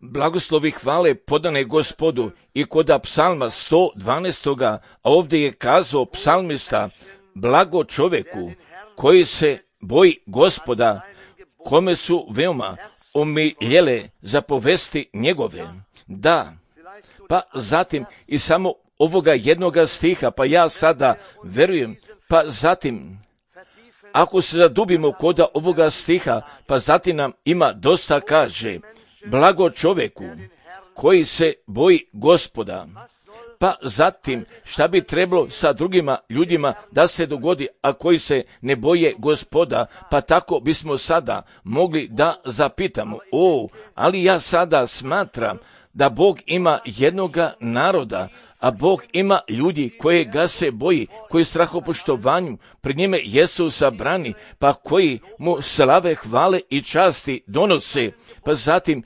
Blagoslovi hvale podane Gospodu i kod psalma 112. A ovdje je kazao psalmista: blago čoveku koji se boji Gospoda, kome su veoma omiljele zapovesti njegove. Da, pa zatim i samo ovoga jednoga stiha, pa ja sada verujem, pa zatim ako se zadubimo kod ovoga stiha, pa zatim nam ima dosta kaže: blago čoveku koji se boji Gospoda. Pa zatim šta bi trebalo sa drugima ljudima da se dogodi, a koji se ne boje Gospoda? Pa tako bismo sada mogli da zapitamo: ali ja sada smatram da Bog ima jednoga naroda, a Bog ima ljudi koje ga se boji, koji strahopoštovanju pred njime jesu sabrani, pa koji mu slave, hvale i časti donose, pa zatim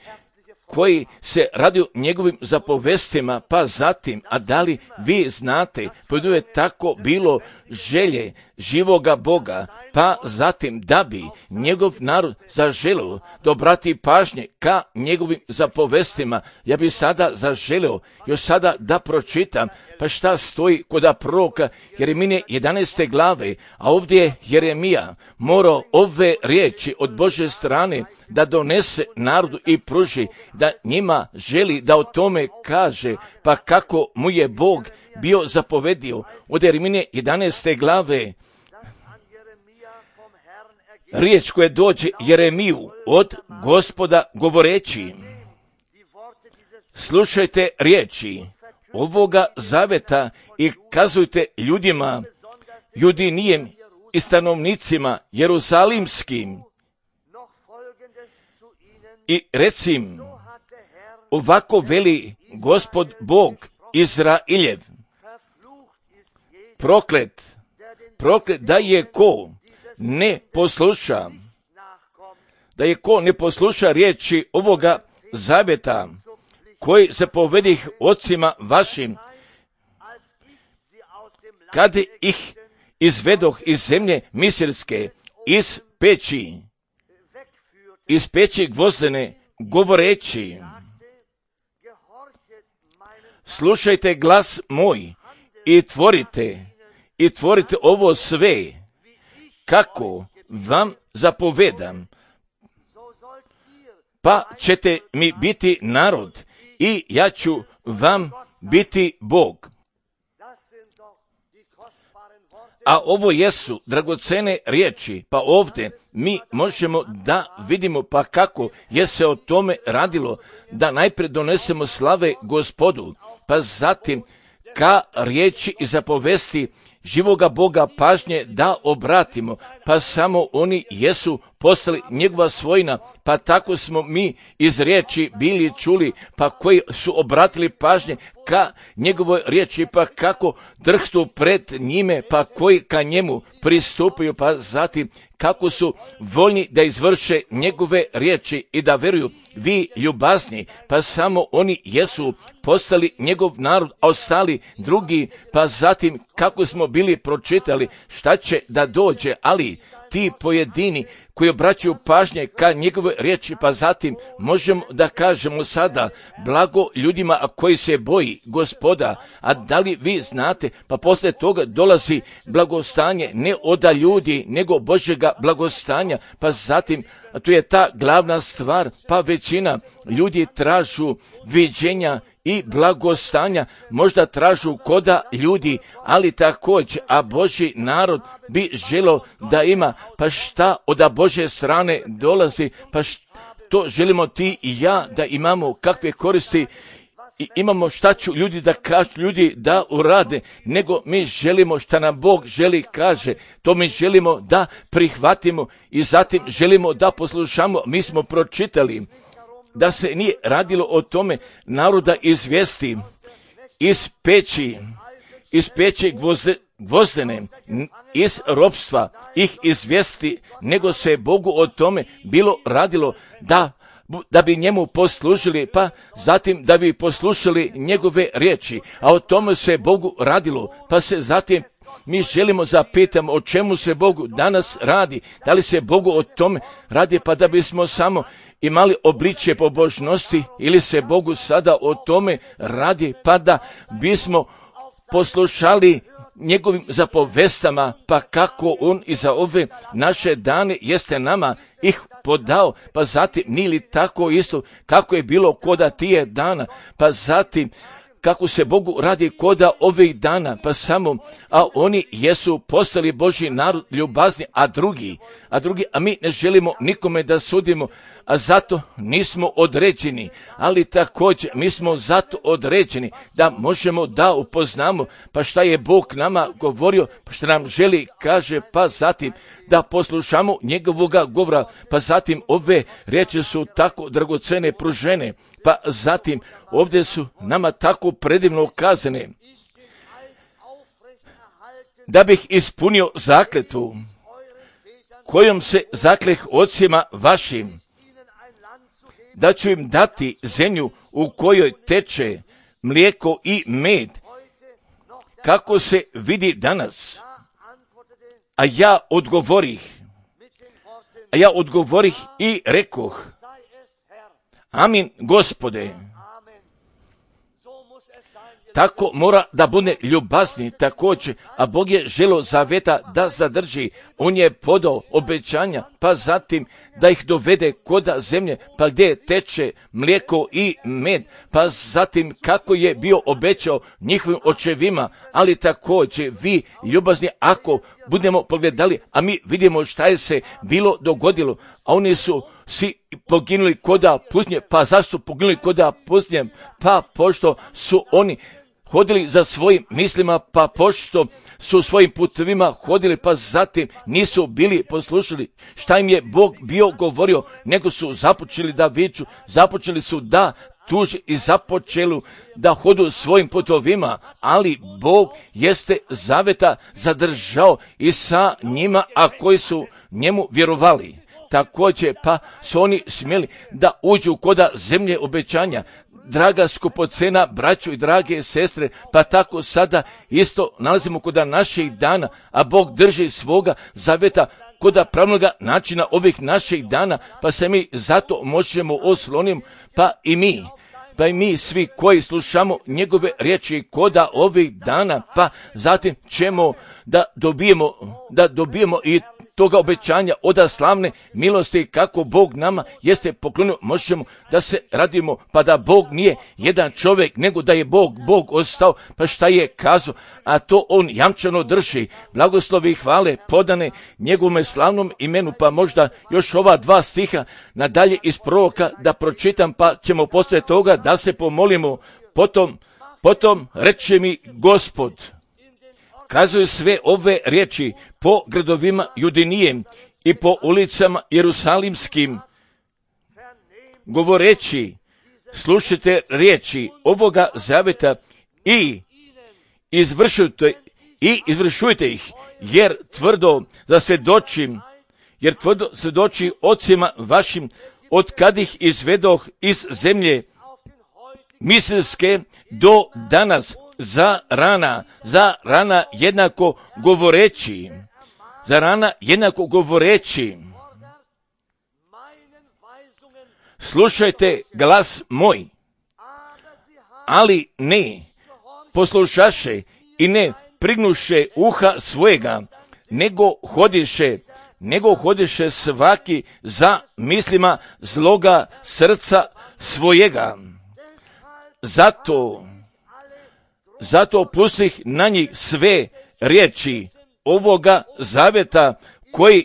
koji se radi njegovim zapovestima, pa zatim, a da li vi znate, pa je tako bilo želje živoga Boga, pa zatim da bi njegov narod zaželio da obrati pažnje ka njegovim zapovestima. Ja bi sada zaželio još sada da pročitam, pa šta stoji kod proroka Jeremije 11. glave, a ovdje je Jeremija morao ove riječi od Božje strane da donese narodu i pruži, da njima želi da o tome kaže, pa kako mu je Bog bio zapovedio od Jeremije 11. glave. Riječ koja dođe Jeremiju od Gospoda govoreći: slušajte riječi ovoga zaveta i kazujte ljudima Judinijem i stanovnicima Jerusalimskim i recim: ovako veli Gospod Bog Izrailjev, proklet da je ko ne posluša, riječi ovoga zaveta koji zapovedih ocima vašim, kad ih izvedoh iz zemlje misirske, iz peći gvozdene, govoreći: slušajte glas moj i tvorite ovo sve, kako vam zapovedam, pa ćete mi biti narod i ja ću vam biti Bog. A ovo jesu dragocene riječi, pa ovdje mi možemo da vidimo pa kako je se o tome radilo, da najprije donesemo slave Gospodu, pa zatim ka riječi i zapovesti živoga Boga pažnje da obratimo, pa samo oni jesu postali njegova svojina, pa tako smo mi iz riječi bili čuli, pa koji su obratili pažnje ka njegovoj riječi, pa kako drhtu pred njime, pa koji ka njemu pristupaju, pa zatim kako su voljni da izvrše njegove riječi i da veruju. Vi ljubazni, pa samo oni jesu postali njegov narod, a ostali drugi, pa zatim kako smo bili pročitali šta će da dođe, ali ti pojedini koji obraćaju pažnje ka njegove riječi, pa zatim možemo da kažemo sada: blago ljudima koji se boji Gospoda. A da li vi znate, pa poslije toga dolazi blagostanje ne od ljudi, nego Božjega blagostanja, pa zatim, a tu je ta glavna stvar, pa većina ljudi tražu viđenja i blagostanja, možda tražu koda ljudi, ali također, a Božji narod bi želio da ima, pa šta od Božje strane dolazi, pa to želimo ti i ja da imamo, kakve koristi i imamo, šta ću ljudi da kažu, ljudi da urade, nego mi želimo šta nam Bog želi kaže, to mi želimo da prihvatimo i zatim želimo da poslušamo. Mi smo pročitali da se nije radilo o tome naroda izvesti iz peći gvozdene, iz ropstva ih izvesti, nego se Bogu o tome bilo radilo da bi njemu poslužili, pa zatim da bi poslušali njegove riječi, a o tome se Bogu radilo, pa se zatim Mi želimo zapitati o čemu se Bogu danas radi. Da li se Bogu o tome radi pa da bismo samo imali obličje pobožnosti ili se Bogu sada o tome radi pa da bismo poslušali njegovim zapovestama, pa kako on i za ove naše dane jeste nama ih podao, pa zatim nije li tako isto kako je bilo koda tije dana, pa zatim kako se Bogu radi koda ovih dana, pa samo, a oni jesu postali Božji narod ljubazni, a mi ne želimo nikome da sudimo, a zato nismo određeni, ali također mi smo zato određeni da možemo da upoznamo, pa šta je Bog nama govorio, pa šta nam želi, kaže, pa zatim da poslušamo njegovoga govora, pa zatim ove riječi su tako dragocene pružene, pa zatim ovdje su nama tako predivno kazane, da bih ispunio zakletvu kojom se zakleh ocima vašim, da ću im dati zemlju u kojoj teče mlijeko i med, kako se vidi danas. A ja odgovorih i rekoh, amin, Gospode. Tako mora da bude ljubazni također, a Bog je želio zaveta da zadrži. On je podao obećanja, pa zatim da ih dovede koda zemlje, pa gdje teče mlijeko i med, pa zatim kako je bio obećao njihovim očevima, ali također vi ljubazni, ako budemo pogledali, a mi vidimo šta je se bilo dogodilo, a oni su svi poginuli koda pustinje. Pa zašto poginuli koda pustinje? Pa pošto su oni hodili za svojim mislima, pa pošto su svojim putovima hodili, pa zatim nisu bili poslušali šta im je Bog bio govorio, nego su započeli da viču, započeli su da tuže i započeli da hodu svojim putovima, ali Bog jeste zaveta zadržao i sa njima, a koji su njemu vjerovali. Također pa su oni smjeli da uđu koda zemlje obećanja. Draga skupocena braćo i drage sestre, pa tako sada isto nalazimo koda naših dana, a Bog drži svoga zaveta koda pravnoga načina ovih naših dana, pa se mi zato možemo osloniti, pa i mi svi koji slušamo njegove riječi koda ovih dana, pa zatim ćemo da dobijemo i toga obećanja od slavne milosti kako Bog nama jeste poklonio, možemo da se radimo, pa da Bog nije jedan čovjek, nego da je Bog ostao, pa šta je kazao, a to on jamčano drži. Blagoslovi i hvale podane njegovom slavnom imenu, pa možda još ova 2 stiha nadalje iz proroka da pročitam, pa ćemo poslije toga da se pomolimo. Potom reče mi Gospod, kazuju sve ove riječi po gradovima Judinijem i po ulicama Jerusalimskim, govoreći, slušajte riječi ovoga zaveta i izvršujte ih, jer tvrdo svjedoči ocima vašim, od kad ih izvedoh iz zemlje Misirske do danas, za rana jednako govoreći, slušajte glas moj, ali ne poslušaše i ne prignuše uha svojega, nego hodiše svaki za mislima zloga srca svojega. Zato pustih na njih sve riječi ovoga zaveta koje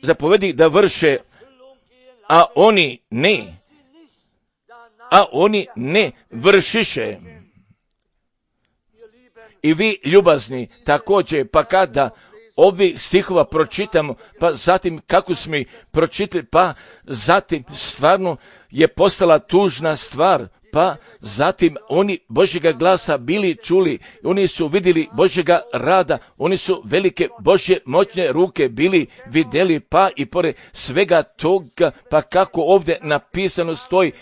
zapovedih da vrše, a oni ne vršiše. I vi ljubazni također, pa kada ovih stihova pročitamo, pa zatim kako smo ih pročitali, pa zatim stvarno je postala tužna stvar, pa zatim oni Božjega glasa bili čuli, oni su vidjeli Božjega rada, oni su velike Božje moćne ruke bili vidjeli, pa i pored svega toga, pa kako ovdje napisano stoji,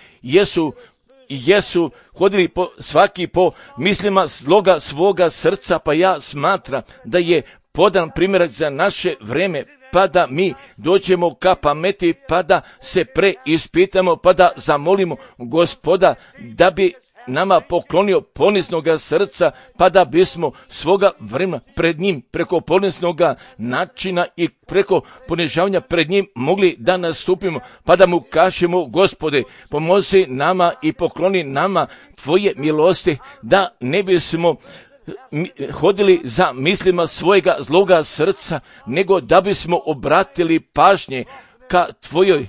jesu hodili svaki po mislima sloga svoga srca, pa ja smatram da je podan primjerak za naše vreme, pa da mi dođemo ka pameti, pa da se preispitamo, pa da zamolimo Gospoda da bi nama poklonio poniznoga srca, pa da bismo svoga vremena pred njim, preko poniznoga načina i preko ponižavanja pred njim mogli da nastupimo, pa da mu kažemo: Gospode, pomozi nama i pokloni nama tvoje milosti, da ne bismo hodili za mislima svojega zloga srca, nego da bismo obratili pažnje ka tvojoj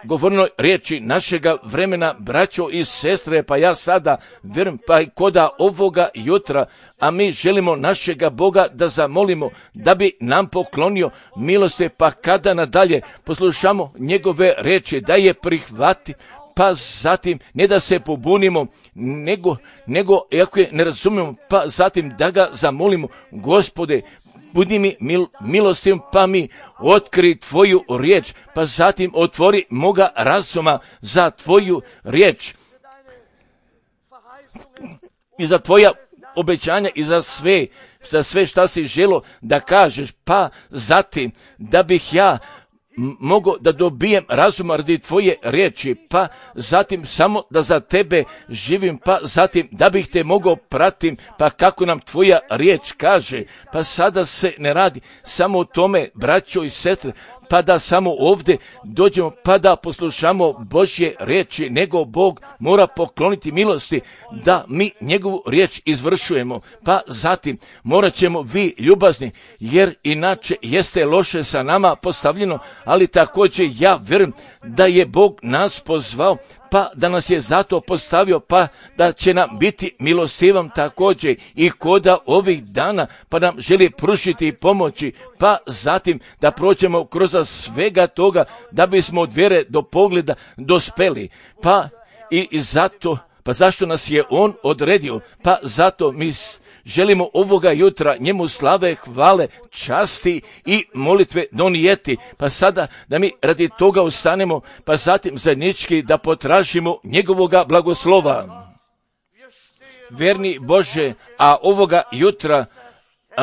govornoj riječi našega vremena, braćo i sestre. Pa ja sada vjerujem, pa i koda ovoga jutra, a mi želimo našega Boga da zamolimo da bi nam poklonio milosti, pa kada nadalje poslušamo njegove riječi, da je prihvati, pa zatim ne da se pobunimo, nego ako je ne razumijemo, pa zatim da ga zamolimo: Gospode, budi mi milostiv, pa mi otkri tvoju riječ, pa zatim otvori moga razuma za tvoju riječ i za tvoja obećanja i za sve šta si želo da kažeš, pa zatim da bih ja mogu da dobijem razuma radi tvoje riječi, pa zatim samo da za tebe živim, pa zatim da bih te mogao pratim, pa kako nam tvoja riječ kaže. Pa sada se ne radi samo o tome, braćo i sestre, pa da samo ovdje dođemo, pa da poslušamo Božje riječi, nego Bog mora pokloniti milosti da mi njegovu riječ izvršujemo. Pa zatim morat ćemo vi ljubazni, jer inače jeste loše sa nama postavljeno, ali također ja vjerujem da je Bog nas pozvao, pa da nas je zato postavio, pa da će nam biti milostivan također i koda ovih dana, pa nam želi pružiti pomoći, pa zatim da prođemo kroz svega toga, da bismo od vjere do pogleda dospeli. Pa i zato, pa zašto nas je on odredio? Pa zato mi želimo ovoga jutra njemu slave, hvale, časti i molitve donijeti. Pa sada da mi radi toga ustanemo, pa zatim zajednički da potražimo njegovoga blagoslova. Vjerni Bože, a ovoga jutra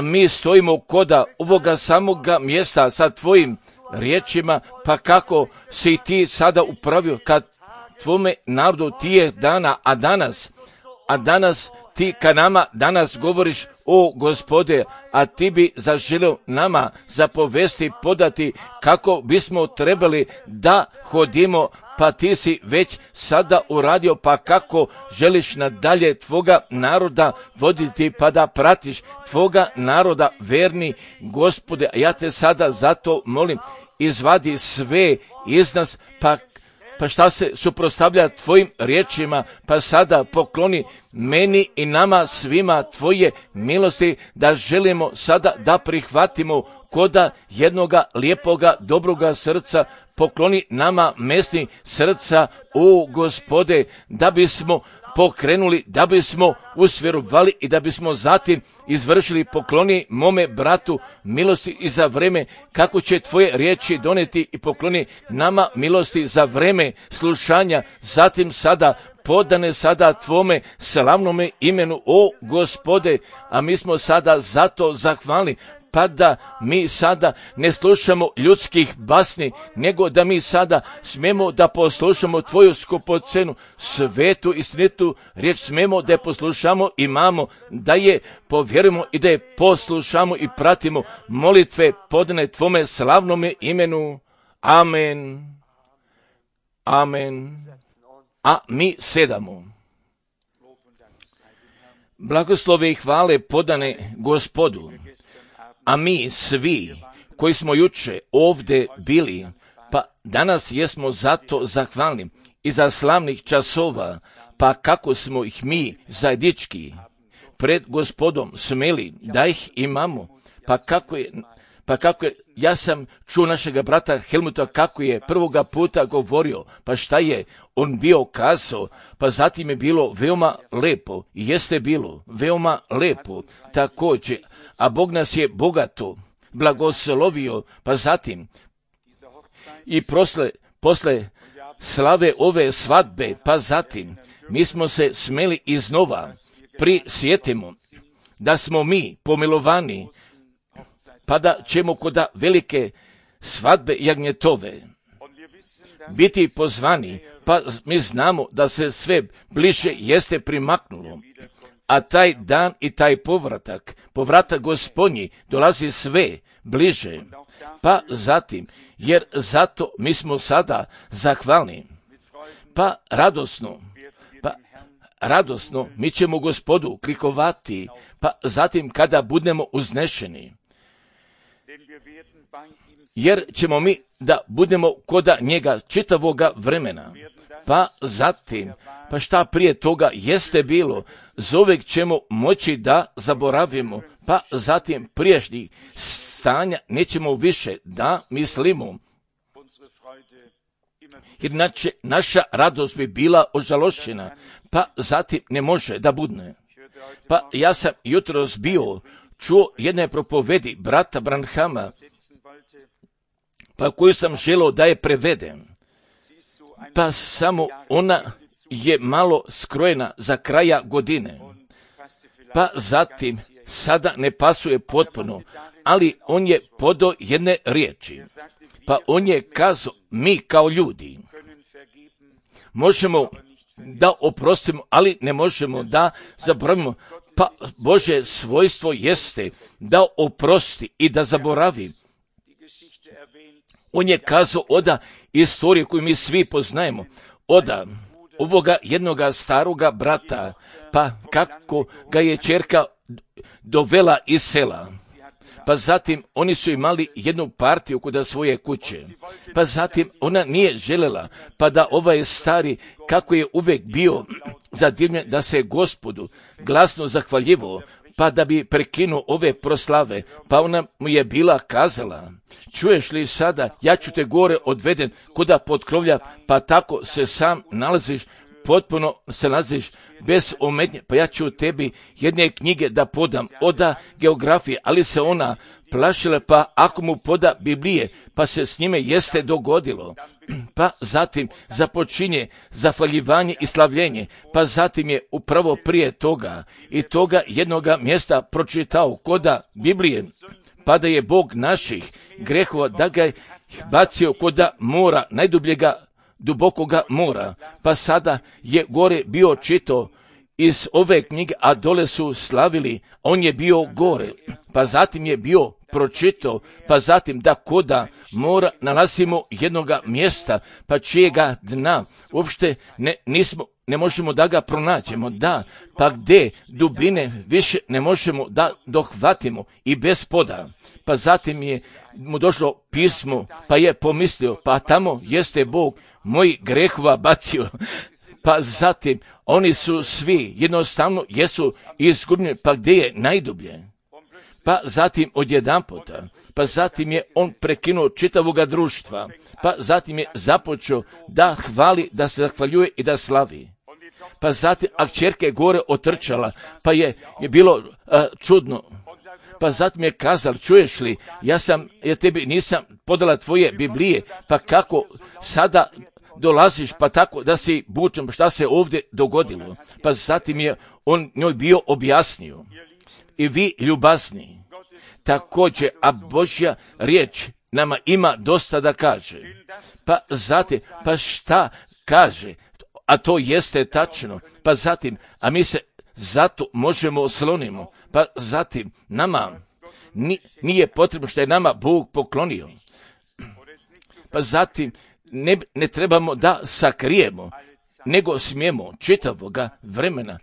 mi stojimo koda ovoga samoga mjesta sa tvojim riječima, pa kako si ti sada upravio kad tvome narodu tije dana, a danas ti ka nama danas govoriš: o Gospode, a ti bi zaželio nama zapovesti, podati kako bismo trebali da hodimo, pa ti si već sada uradio, pa kako želiš nadalje tvoga naroda voditi, pa da pratiš tvoga naroda verni, Gospode. Ja te sada zato molim, izvadi sve iz nas, pa šta se suprotstavlja tvojim riječima, pa sada pokloni meni i nama svima tvoje milosti, da želimo sada da prihvatimo koda jednoga lijepoga, dobroga srca. Pokloni nama mesni srca, o Gospode, da bismo pokrenuli, da bismo usvjerovali i da bismo zatim izvršili. Pokloni mome bratu milosti i za vreme kako će tvoje riječi doneti, i pokloni nama milosti za vreme slušanja. Zatim sada podane sada tvome slavnome imenu, o Gospode, a mi smo sada zato zahvalni, pa da mi sada ne slušamo ljudskih basni, nego da mi sada smemo da poslušamo tvoju skupocenu, svetu i istinitu riječ, smemo da je poslušamo, imamo, da je povjerujemo i da je poslušamo i pratimo molitve podane tvome slavnome imenu. Amen. Amen. A mi sedamo. Blagoslove i hvale podane Gospodu. A mi svi koji smo juče ovdje bili, pa danas jesmo zato zahvalni i za slavnih časova, pa kako smo ih mi zajednički pred Gospodom smeli da ih imamo, pa kako je, ja sam čuo našega brata Helmuta kako je prvoga puta govorio, pa šta je on bio kazao, pa zatim je bilo veoma lepo, i jeste bilo veoma lepo također, a Bog nas je bogato blagoslovio, pa zatim i posle slave ove svadbe, pa zatim mi smo se smeli iznova prisjetimo da smo mi pomilovani, pa da ćemo kod velike svadbe jagnjetove biti pozvani, pa mi znamo da se sve bliže jeste primaknulo, a taj dan i taj povratak Gospodnji dolazi sve bliže, pa zatim, jer zato mi smo sada zahvalni, pa radosno mi ćemo Gospodu klikovati, pa zatim kada budemo uznešeni, jer ćemo mi da budemo koda njega čitavoga vremena, pa zatim, pa šta prije toga jeste bilo, zovek ćemo moći da zaboravimo, pa zatim prijašnjih stanja nećemo više da mislimo, inače naša radost bi bila ožalošćena, pa zatim ne može da budne. Pa ja sam jutros čuo jedne propovedi brata Branhama, pa koju sam želio da je prevedem, pa samo ona je malo skrojena za kraja godine, pa zatim sada ne pasuje potpuno, ali on je podao jedne riječi, pa on je kazao, mi kao ljudi možemo da oprostimo, ali ne možemo da zaboravimo, pa Božje svojstvo jeste da oprosti i da zaboravi. On je kazao oda istoriju koju mi svi poznajemo, oda ovoga jednoga staroga brata, pa kako ga je ćerka dovela iz sela, pa zatim oni su imali jednu partiju kod svoje kuće, pa zatim ona nije željela, pa da ovaj stari, kako je uvijek bio zadivljen da se Gospodu glasno zahvaljivo, pa da bi prekinuo ove proslave, pa ona mu je bila kazala, čuješ li sada, ja ću te gore odveden kuda potkrovlja, pa tako se sam nalaziš, potpuno se nalaziš bez ometnje, pa ja ću tebi jedne knjige da podam, oda geografije, ali se ona plašila, pa ako mu poda Biblije, pa se s njime jeste dogodilo, pa zatim započinje zahvaljivanje i slavljenje, pa zatim je upravo prije toga i toga jednoga mjesta pročitao koda Biblije, pa da je Bog naših grehova, da ga je bacio koda mora, najdubljega dubokoga mora, pa sada je gore bio čito iz ove knjige, a dole su slavili, on je bio gore, pa zatim je bio pročito, pa zatim da koda mora nalazimo jednoga mjesta, pa čijega dna uopšte ne možemo da ga pronađemo, da, pa gdje dubine više ne možemo da dohvatimo i bez poda. Pa zatim je mu došlo pismo, pa je pomislio, pa tamo jeste Bog moj grehova bacio. Pa zatim oni su svi jednostavno jesu izgubljeni, pa gdje je najdublje? Pa zatim odjedanputa, pa zatim je on prekinuo čitavoga društva, pa zatim je započeo da hvali, da se zahvaljuje i da slavi. Pa zatim, a kćerka je gore otrčala, pa je bilo čudno. Pa zatim je kazala, čuješ li, ja tebi nisam podala tvoje Biblije, pa kako sada dolaziš, pa tako da si bučen, šta se ovdje dogodilo. Pa zatim je on njoj bio objasnio. I vi ljubazni, također, a Božja riječ nama ima dosta da kaže. Pa zatim, pa šta kaže, a to jeste tačno, pa zatim, a mi se zato možemo oslonimo, pa zatim nama nije potrebno što je nama Bog poklonio. Pa zatim ne trebamo da sakrijemo, nego smijemo čitavoga vremena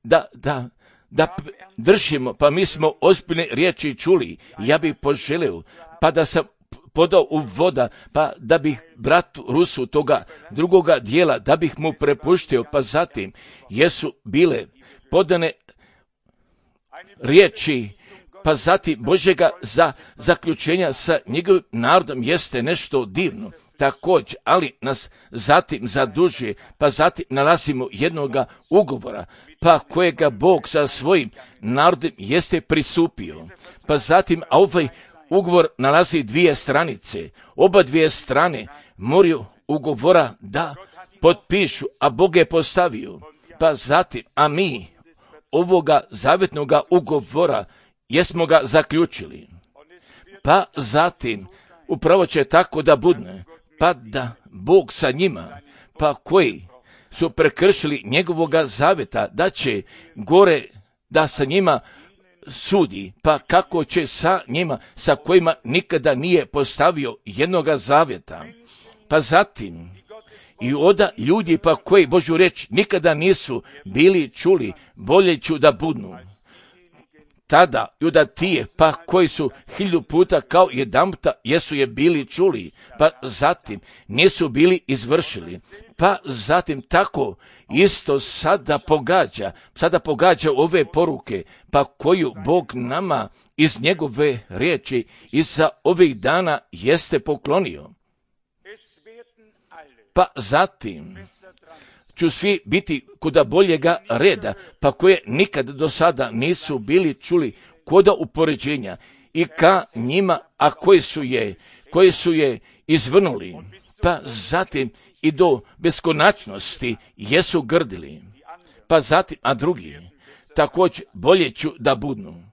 da držimo, pa mi smo ozbiljne riječi čuli. Ja bih poželio, pa da sam podao u voda, pa da bih bratu Rusu toga drugoga dijela, da bih mu prepuštio, pa zatim jesu bile podane riječi, pa zatim Božjega za zaključenja sa njegovim narodom jeste nešto divno. Također, ali nas zatim zadužuje, pa zatim nalazimo jednoga ugovora, pa kojega Bog sa svojim narodom jeste pristupio. Pa zatim, a ovaj ugovor nalazi dvije stranice, oba dvije strane moraju ugovora da potpišu, a Bog je postavio. Pa zatim, a mi ovoga zavjetnoga ugovora jesmo ga zaključili. Pa zatim, upravo će tako da budne, pa da Bog sa njima, pa koji su prekršili njegovoga zavjeta, da će gore da sa njima sudi, pa kako će sa njima, sa kojima nikada nije postavio jednoga zavjeta. Pa zatim, i oda ljudi pa koji Božju riječ nikada nisu bili čuli, bolje ću da budnu. Tada judatije pa koji su 1000 puta kao jedanputa jesu je bili čuli, pa zatim nisu bili izvršili. Pa zatim tako isto sada pogađa ove poruke, pa koju Bog nama iz njegove riječi iza ovih dana jeste poklonio. Pa zatim ću svi biti kuda boljega reda, pa koje nikad do sada nisu bili čuli koda upoređenja i ka njima, a koji su je izvrnuli, pa zatim i do beskonačnosti jesu grdili, pa zatim, a drugi također bolje ću da budnu,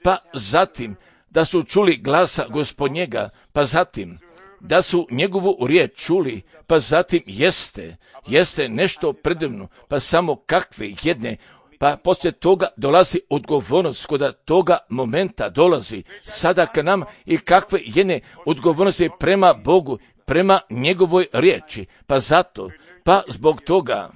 pa zatim da su čuli glasa Gospodnjega, pa zatim da su njegovu riječ čuli, pa zatim jeste nešto predivno, pa samo kakve jedne, pa poslije toga dolazi odgovornost, kod toga momenta dolazi sada k nama i kakve jedne odgovornosti prema Bogu, prema njegovoj riječi, pa zato, pa zbog toga,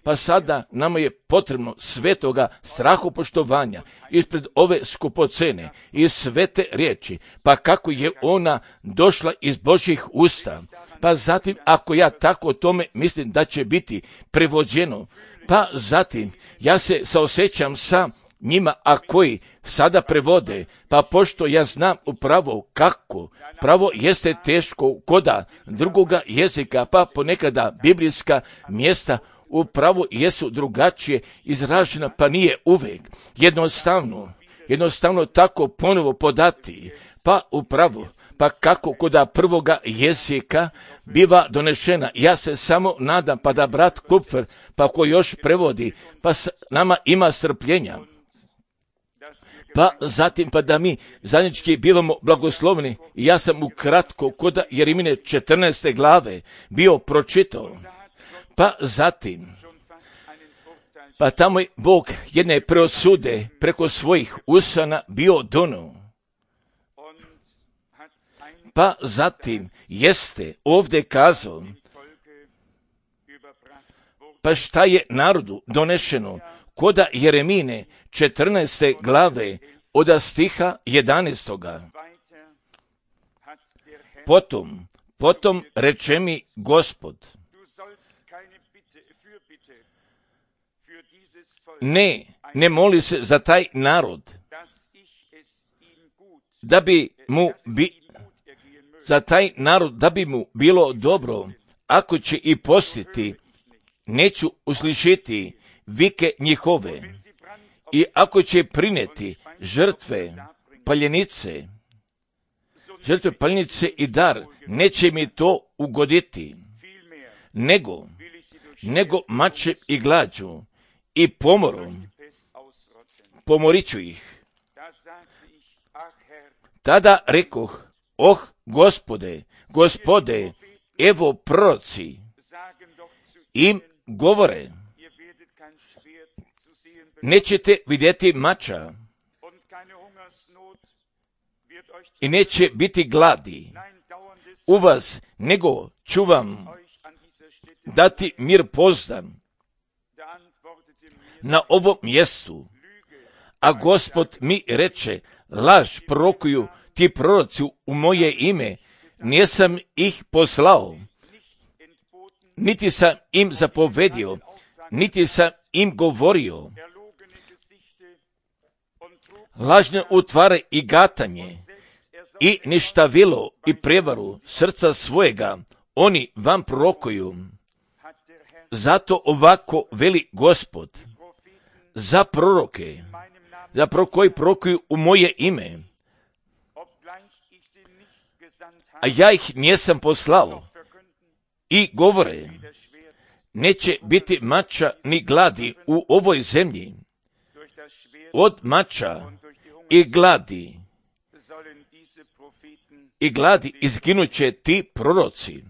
pa sada nama je potrebno svetoga strahopoštovanja ispred ove skupocene i svete riječi, pa kako je ona došla iz Božjih usta. Pa zatim, ako ja tako o tome mislim da će biti prevođeno, pa zatim ja se saosjećam sa njima, a koji sada prevode, pa pošto ja znam upravo kako, pravo jeste teško koda drugoga jezika, pa ponekada biblijska mjesta upravo jesu drugačije izražena, pa nije uvijek jednostavno tako ponovo podati, pa upravo, pa kako koda prvoga jezika biva donešena. Ja se samo nadam, pa da brat Kupfer, pa ko još prevodi, pa nama ima strpljenja. Pa zatim, pa da mi zajednički bivamo blagoslovni. Ja sam ukratko koda Jeremine 14. glave bio pročitao. Pa zatim, pa tamo je Bog jedne preosude preko svojih usana bio donio. Pa zatim jeste ovdje kazao, pa šta je narodu donešeno koda Jeremine 14. glave od stiha 11. Potom reče mi Gospod, ne moli se za taj narod, da bi mu bilo dobro, ako će i postiti, neću uslišiti vike njihove, i ako će prineti žrtve paljenice i dar, neće mi to ugoditi, nego mačem i glađu i pomorom pomoriću ih. Tada rekoh, Gospode, evo proroci im govore, nećete vidjeti mača i neće biti gladi u vas, nego ću vam dati mir pozdan na ovom mjestu. A Gospod mi reče, laž prorokuju ti proroci u moje ime, nisam ih poslao, niti sam im zapovedio, niti sam im govorio. Lažne utvare i gatanje i ništavilo i prevaru srca svojega oni vam prorokuju. Zato ovako veli Gospod, za proroke, koji prorokuju u moje ime, a ja ih nisam poslao, i govore, neće biti mača ni gladi u ovoj zemlji. Od mača i gladi izginuće ti proroci.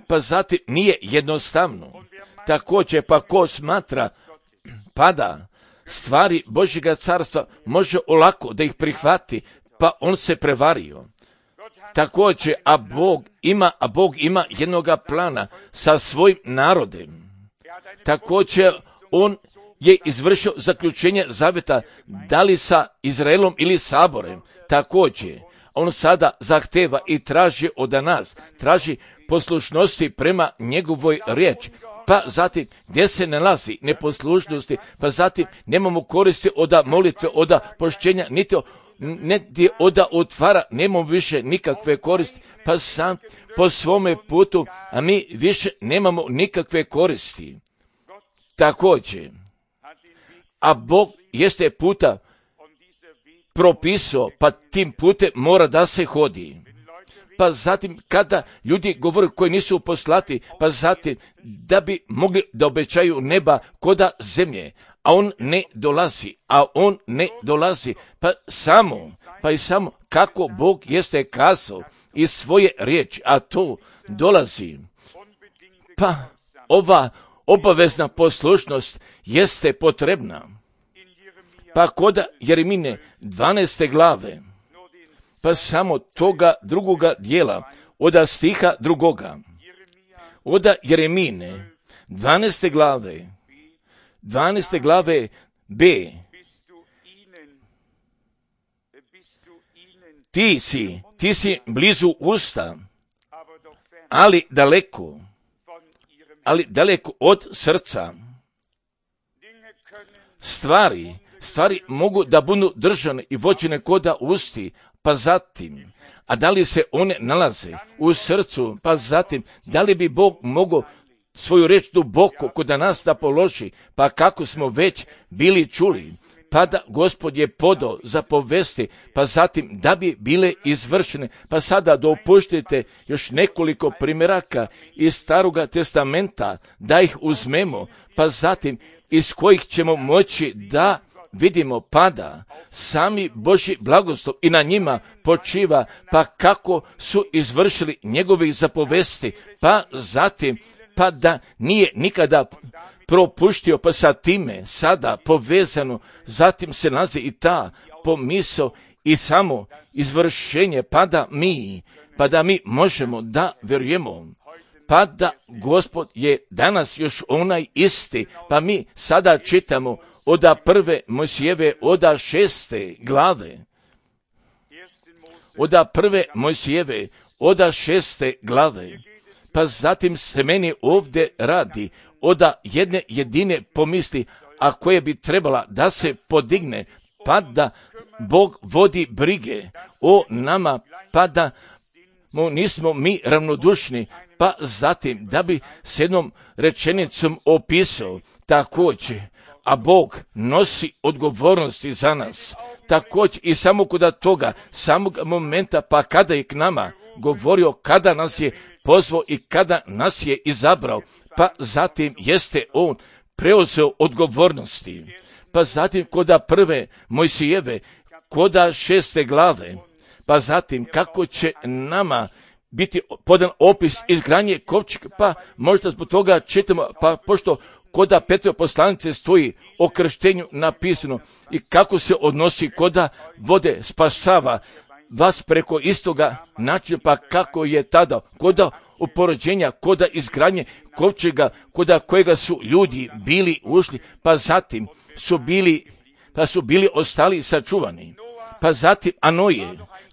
Pa zatim nije jednostavno. Također pa ko smatra pada stvari Božjega carstva može olako da ih prihvati, pa on se prevario. Također, a Bog ima jednoga plana sa svojim narodem. Također, on je izvršio zaključenje zaveta, da li sa Izraelom ili Saborem. Također, on sada zahteva i traži od nas, traži poslušnosti prema njegovoj riječi. Pa zatim, gdje se nalazi neposlušnosti, pa zatim nemamo koristi od molitve, od pošćenja, niti od otvara, nemamo više nikakve koristi, pa sam po svome putu, a mi više nemamo nikakve koristi. Također, a Bog jeste puta propisao, pa tim putem mora da se hodi. Pa zatim kada ljudi govore koji nisu poslati, pa zatim da bi mogli da obećaju neba koda zemlje, a on ne dolazi, pa i samo kako Bog jeste kazao iz svoje riječi, a to dolazi. Pa ova obavezna poslušnost jeste potrebna. Pa koda Jeremine 12. glave, pa samo toga drugoga dijela, od stiha drugoga, od Jeremine 12. glave B. Ti si blizu usta, ali daleko od srca. Stvari mogu da budu držane i vođene koda usti, pa zatim, a da li se one nalaze u srcu, pa zatim, da li bi Bog mogao svoju riječ duboko kod nas da položi, pa kako smo već bili čuli, pa da Gospod je podao za povesti, pa zatim da bi bile izvršene, pa sada dopuštite još nekoliko primjeraka iz Staroga testamenta, da ih uzmemo, pa zatim iz kojih ćemo moći da vidimo pada sami Božji blagoslov i na njima počiva, pa kako su izvršili njegovi zapovesti, pa zatim, pa da nije nikada propuštio, pa sa time sada povezano, zatim se nalazi i ta pomisao i samo izvršenje, pa da mi možemo da vjerujemo, pa da Gospod je danas još onaj isti, pa mi sada čitamo od prve Mojsijeve, od 6. glave. Od prve Mojsijeve, od 6. glave. Pa zatim se meni ovdje radi od jedne jedine pomisli, a koje bi trebala da se podigne, pa da Bog vodi brige o nama, pa da nismo mi ravnodušni, pa zatim da bi s jednom rečenicom opisao također, a Bog nosi odgovornosti za nas. Također i samo kod toga, samog momenta, pa kada je k nama govorio, kada nas je pozvao i kada nas je izabrao, pa zatim jeste on preuzeo odgovornosti. Pa zatim kod prve Mojsijeve, kod 6. glave, pa zatim kako će nama biti podan opis izgradnje kovčega, pa možda zbog toga čitamo, pa pošto koda Petrove poslanice stoji o krštenju napisano i kako se odnosi koda vode spasava vas preko istoga načina, pa kako je tada koda uporođenja, koda izgradnje kovčega, koda kojega su ljudi bili ušli, pa zatim su bili ostali sačuvani. Pa zatim Anoje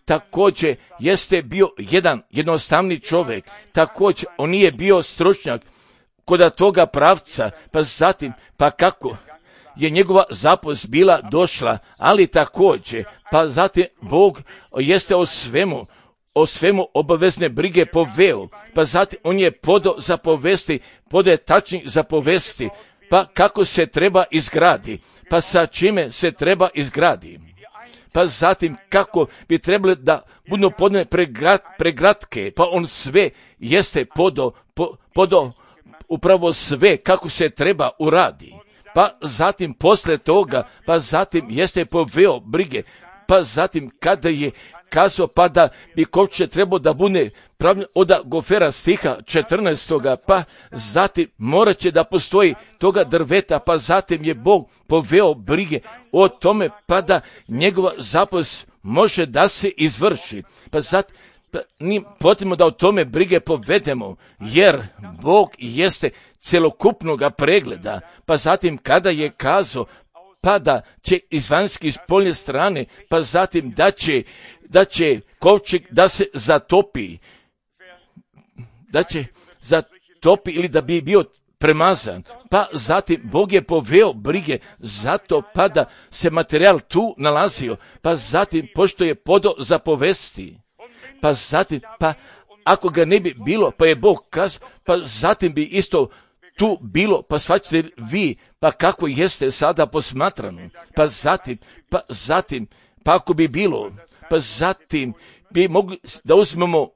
također jeste bio jedan jednostavni čovjek, također on nije bio stručnjak kod toga pravca, pa zatim, pa kako je njegova zapovest bila došla, ali također, pa zatim Bog jeste o svemu obavezne brige poveo, pa zatim on je podao zapovesti, podaje tačnih zapovesti, pa kako se treba izgradi, pa sa čime se treba izgradi. pa zatim kako bi trebali da budu podne pregratke, pa on sve jeste podo upravo sve kako se treba uradi. Pa zatim posle toga, pa zatim jeste poveo brige, pa zatim kada je kazao pa da bi kovče trebao da bude pravno od Gofera stiha 14. pa zatim morat će da postoji toga drveta, pa zatim je Bog poveo brige o tome pa da njegova zapovest može da se izvrši. Pa zatim nije potrebno da o tome brige povedemo, jer Bog jeste celokupnoga pregleda. Pa zatim kada je kazao pa da će iz vanjske i spoljne strane, pa zatim da će kovčeg da se zatopi, da će zatopi ili da bi bio premazan. Pa zatim Bog je poveo brige zato pa da se materijal tu nalazio, pa zatim pošto je podo zapovesti, pa zatim pa ako ga ne bi bilo, pa je Bog kazao, pa zatim bi isto tu bilo, pa shvaćate vi, pa kako jeste sada posmatrano, pa zatim, pa ako bi bilo, pa zatim bi mogli da uzmemo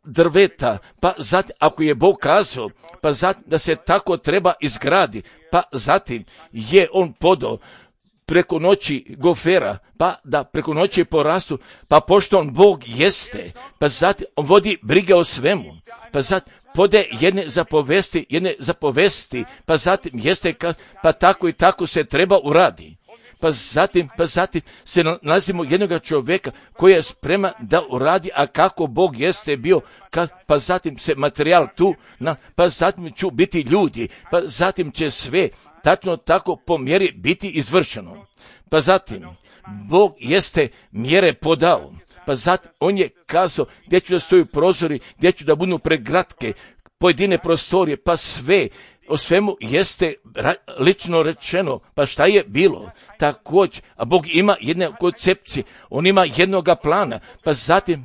drveta, pa zatim ako je Bog kazao, pa zatim da se tako treba izgradi, pa zatim je on podao preko noći Gofera, pa da preko noći porastu, pa pošto on Bog jeste, pa zatim on vodi brige o svemu, pa zatim pode jedne zapovesti, pa zatim jeste, pa tako i tako se treba uradi. Pa zatim se nalazimo jednog čovjeka koji je spreman da uradi, a kako Bog jeste bio, pa zatim se materijal tu, pa zatim će biti ljudi, pa zatim će sve tačno tako po mjeri biti izvršeno. Pa zatim Bog jeste mjere podao, pa zatim on je kazao gdje ću da stoju prozori, gdje ću da budu pregratke, pojedine prostorije, pa sve, o svemu jeste lično rečeno, pa šta je bilo? Također, a Bog ima jedne koncepcije, on ima jednoga plana,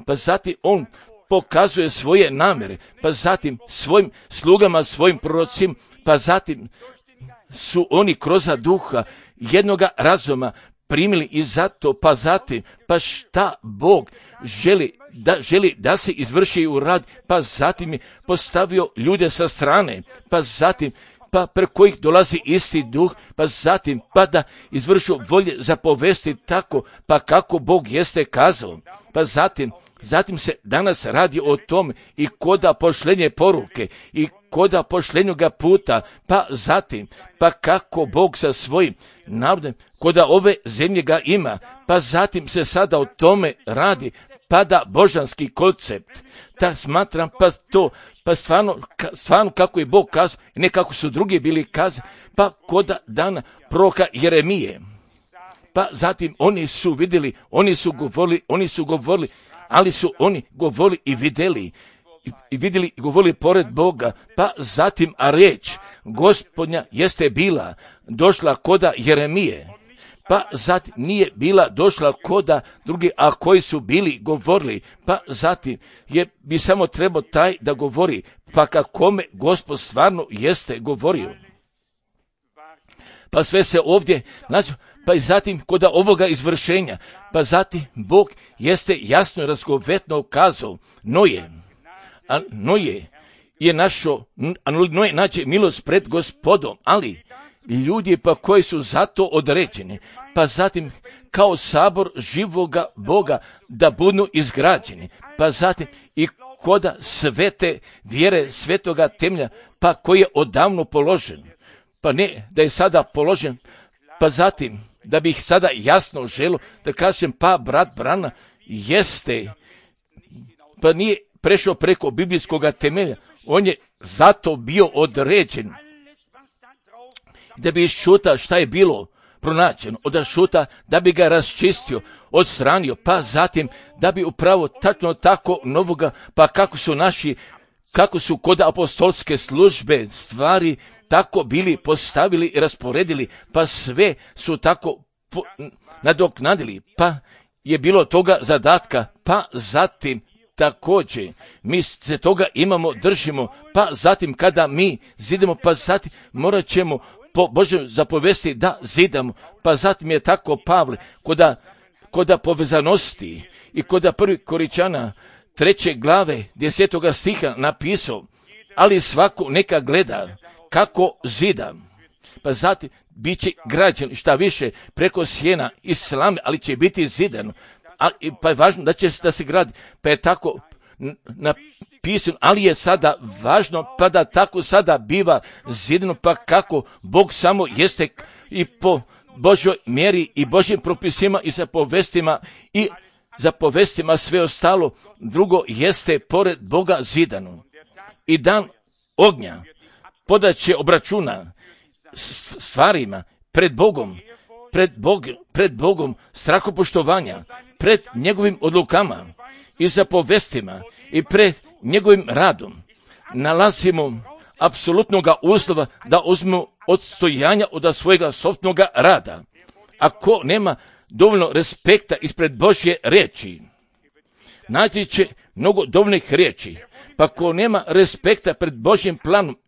pa zatim on pokazuje svoje namjere, pa zatim svojim slugama, svojim prorocima, pa zatim su oni kroz duha jednoga razuma primili i zato, pa zatim, pa šta Bog želi da se izvrši u rad, pa zatim je postavio ljude sa strane, pa zatim, pa preko kojih dolazi isti duh, pa zatim, pa da izvršu volje zapovesti tako, pa kako Bog jeste kazao, pa zatim se danas radi o tome i koda pošlenje poruke i koda pošljenjoga puta, pa zatim, pa kako Bog sa svojim narodom, koda ove zemlje ga ima, pa zatim se sada o tome radi, pa da božanski koncept, tak smatram, pa stvarno kako je Bog kazao, ne kako su drugi bili kazali, pa koda dana proroka Jeremije, pa zatim oni su vidjeli, oni su govorili, ali su oni govorili i vidjeli i govorili pored Boga, pa zatim, a riječ Gospodnja jeste bila došla koda Jeremije, pa zatim nije bila došla koda drugi, a koji su bili govorili, pa zatim bi samo trebao taj da govori, pa kakome Gospod stvarno jeste govorio. Pa sve se ovdje naziva, pa i zatim kod ovoga izvršenja, pa zatim Bog jeste jasno i razgovetno kazao Noje je Noje nađe milost pred Gospodom, ali ljudi pa koji su zato određeni, pa zatim kao sabor živoga Boga da budu izgrađeni, pa zatim i koda svete vjere, svetoga temelja, pa koji je odavno položen, pa ne da je sada položen, pa zatim da bih sada jasno želio da kažem, pa brat Brana jeste, pa nije prešao preko biblijskog temelja, on je zato bio određen da bi iščuta šta je bilo pronađeno, od šuta da bi ga raščistio, odstranio, pa zatim da bi upravo tačno tako novoga, pa kako su kod apostolske službe stvari tako bili postavili i rasporedili, pa sve su tako nadoknadili, pa je bilo toga zadatka, pa zatim također mi se toga držimo, pa zatim kada mi zidemo, pa zatim morat ćemo po Božjem zapovesti da zidamo, pa zatim je tako Pavle, koda povezanosti i koda 1. Koričana 3. glave 10. stiha napisao, ali svako neka gleda kako zida. Pa zatim bit će građen šta više preko sjena i slame, ali će biti zidan. Pa je važno da se gradi. Pa je tako napisano, ali je sada važno pa da tako sada biva zidano, pa kako Bog samo jeste i po Božoj mjeri i Božjim propisima i za povestima sve ostalo drugo jeste pored Boga zidano. I dan ognja podaće obračuna stvarima pred Bogom strahopoštovanja, pred njegovim odlukama i zapovestima i pred njegovim radom nalazimo apsolutnoga uslova da uzmemo odstojanja od svojega sopstvenog rada. Ako nema dovoljno respekta ispred Božje riječi, naći će mnogo dovoljnih riječi, pa ako nema respekta pred Božjim planom,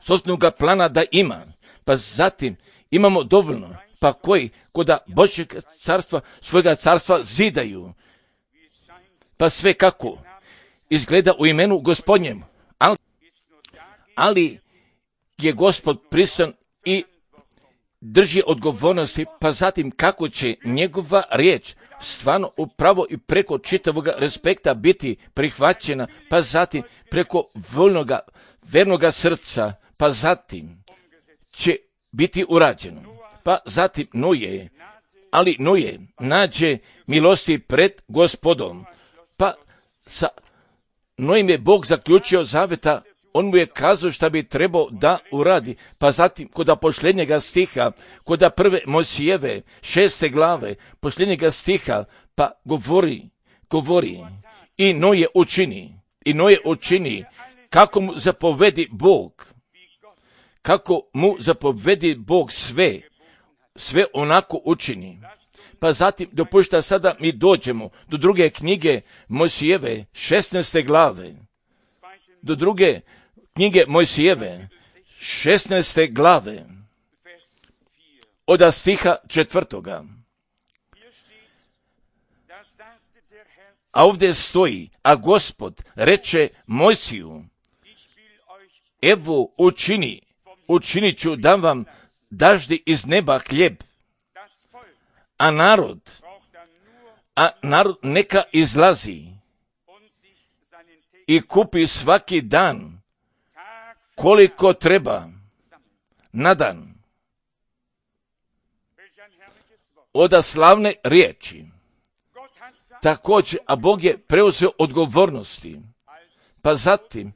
sopstvenog plana da ima, pa zatim imamo dovoljno, pa koji koda Božjeg carstva, svojega carstva zidaju, pa sve kako izgleda u imenu Gospodnjem, ali je Gospod pristojan i drži odgovornosti, pa zatim kako će njegova riječ stvarno upravo i preko čitavog respekta biti prihvaćena, pa zatim preko voljnoga, vernoga srca, pa zatim će biti urađeno. Pa zatim Noje nađe milosti pred Gospodom, pa sa Nojem je Bog zaključio zaveta, on mu je kazao šta bi trebao da uradi, pa zatim koda posljednjega stiha, koda 1. Mojsijeve 6. glave, posljednjega stiha, pa govori, i Noje učini, kako mu zapovedi Bog sve onako učini. Pa zatim dopušta sada mi dođemo do druge knjige Mojsijeve 16. glave, do druge knjige Mojsijeve 16. glave od stiha 4. A ovdje stoji, a Gospod reče Mojsiju, evo učinit ću da vam daždi iz neba hljeb, a narod neka izlazi i kupi svaki dan koliko treba na dan. Oda slavne riječi. Također, a Bog je preuzeo odgovornosti. Pa zatim,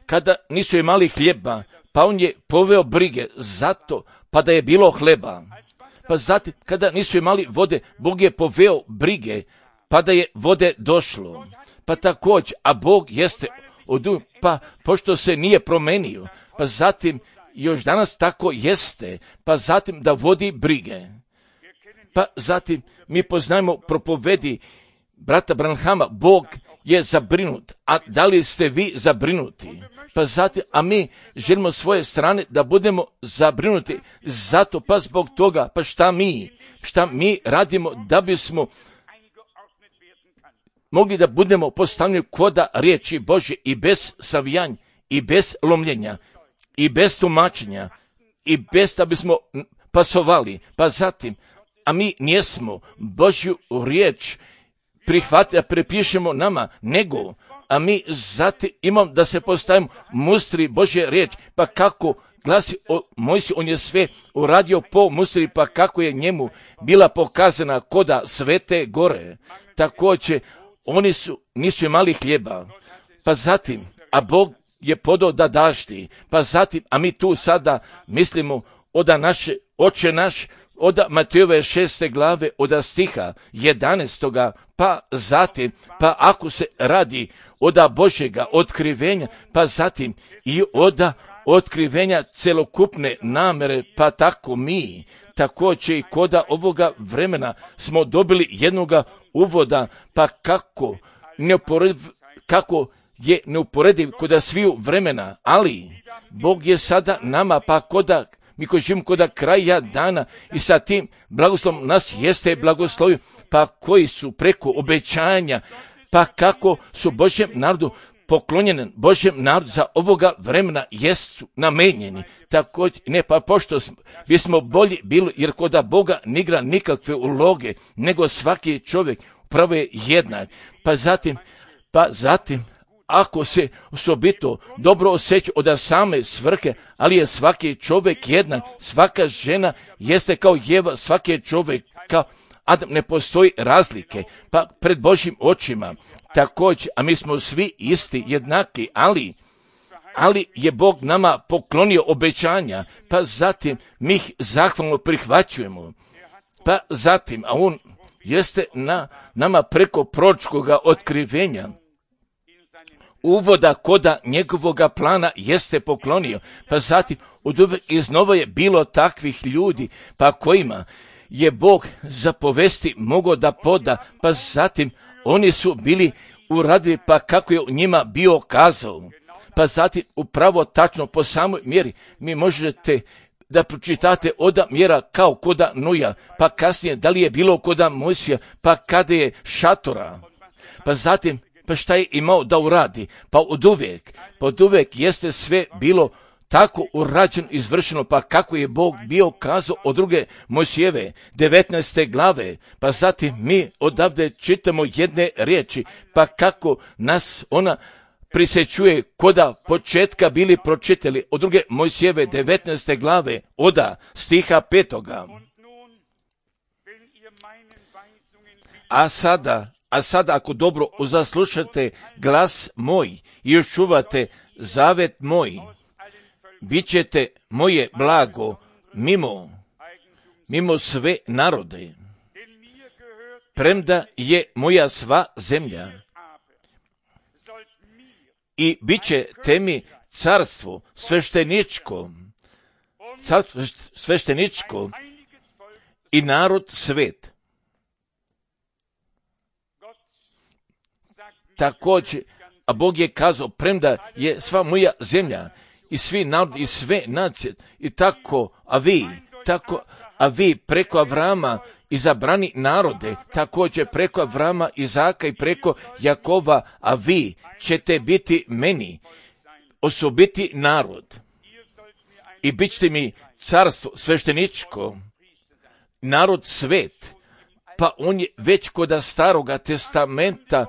kada nisu imali hljeba, pa on je poveo brige zato, pa da je bilo hleba. Pa zatim, kada nisu imali vode, Bog je poveo brige, pa da je vode došlo. Pa također, a Bog jeste pa pošto se nije promenio, pa zatim još danas tako jeste, pa zatim da vodi brige. Pa zatim mi poznajemo propovedi brata Branhama, Bog je zabrinut, a da li ste vi zabrinuti? Pa zatim, a mi želimo svoje strane da budemo zabrinuti, zato pa zbog toga, pa šta mi radimo da bismo mogli da budemo postavljeni koda riječi Božje i bez savijanja, i bez lomljenja, i bez tumačenja, i bez da bismo pasovali. Pa zatim, a mi nijesmo Božju riječ prihvatili, da prepišemo nama, nego, a mi zatim imamo da se postavimo mustri Božje riječ, pa kako glasi Mojsij, on je sve uradio po mustri, pa kako je njemu bila pokazana koda svete gore. Također, nisu imali hljeba, pa zatim, a Bog je podao da daždi, pa zatim, a mi tu sada mislimo oda naše Oče naš, od Matejove 6. glave, od stiha 11. pa zatim, pa ako se radi od Božjega otkrivenja, pa zatim i od otkrivenja celokupne namere, pa tako mi, također i koda ovoga vremena smo dobili jednoga uvoda, pa kako je neuporediv koda sviju vremena, ali Bog je sada nama, pa koda mi koji živimo kod kraja dana i sa tim blagoslovom nas jeste blagoslovio, pa koji su preko obećanja, pa kako su Božjem narodu poklonjeni, Božjem narodu za ovoga vremena jesu namenjeni. Također, ne, pa pošto bismo bolji bili, jer kod Boga ne igra nikakve uloge, nego svaki čovjek upravo je jednak. Pa zatim, ako se osobito dobro osjeća od same svrhe, ali je svaki čovjek jednak, svaka žena jeste kao Jeva, svaki je čovjek kao Adam, ne postoji razlike, pa pred Božjim očima također, a mi smo svi isti, jednaki, ali je Bog nama poklonio obećanja, pa zatim mi ih zahvalno prihvaćujemo, pa zatim, a on jeste nama preko proročkoga otkrivenja, uvoda koda njegovoga plana jeste poklonio, pa zatim od uvek iznova je bilo takvih ljudi, pa kojima je Bog zapovesti mogao da poda, pa zatim oni su bili uradili pa kako je njima bio kazao, pa zatim upravo tačno po samoj mjeri mi možete da pročitate od mjera kao koda Nuja, pa kasnije da li je bilo koda Mojsija, pa kada je šatora, pa zatim pa šta je imao da uradi, pa od uvijek jeste sve bilo tako urađeno, izvršeno, pa kako je Bog bio kazao od druge Mojsijeve 19. glave, pa zatim mi odavde čitamo jedne riječi, pa kako nas ona prisjećuje koda početka bili pročitali od druge Mojsijeve 19. glave od stiha 5. A sada ako dobro zaslušate glas moj i još čuvate zavet moj, bit ćete moje blago mimo sve narode, premda je moja sva zemlja, i bit ćete mi carstvo svešteničko i narod svet. Također, a Bog je kazao, premda je sva moja zemlja i svi narodi i sve nacije, i tako, a vi preko Avrama izabrani narode, također preko Avrama, Izaka i preko Jakova, a vi ćete biti meni osobiti narod i bit ćete mi carstvo svešteničko, narod svet. Pa on je već kod Staroga testamenta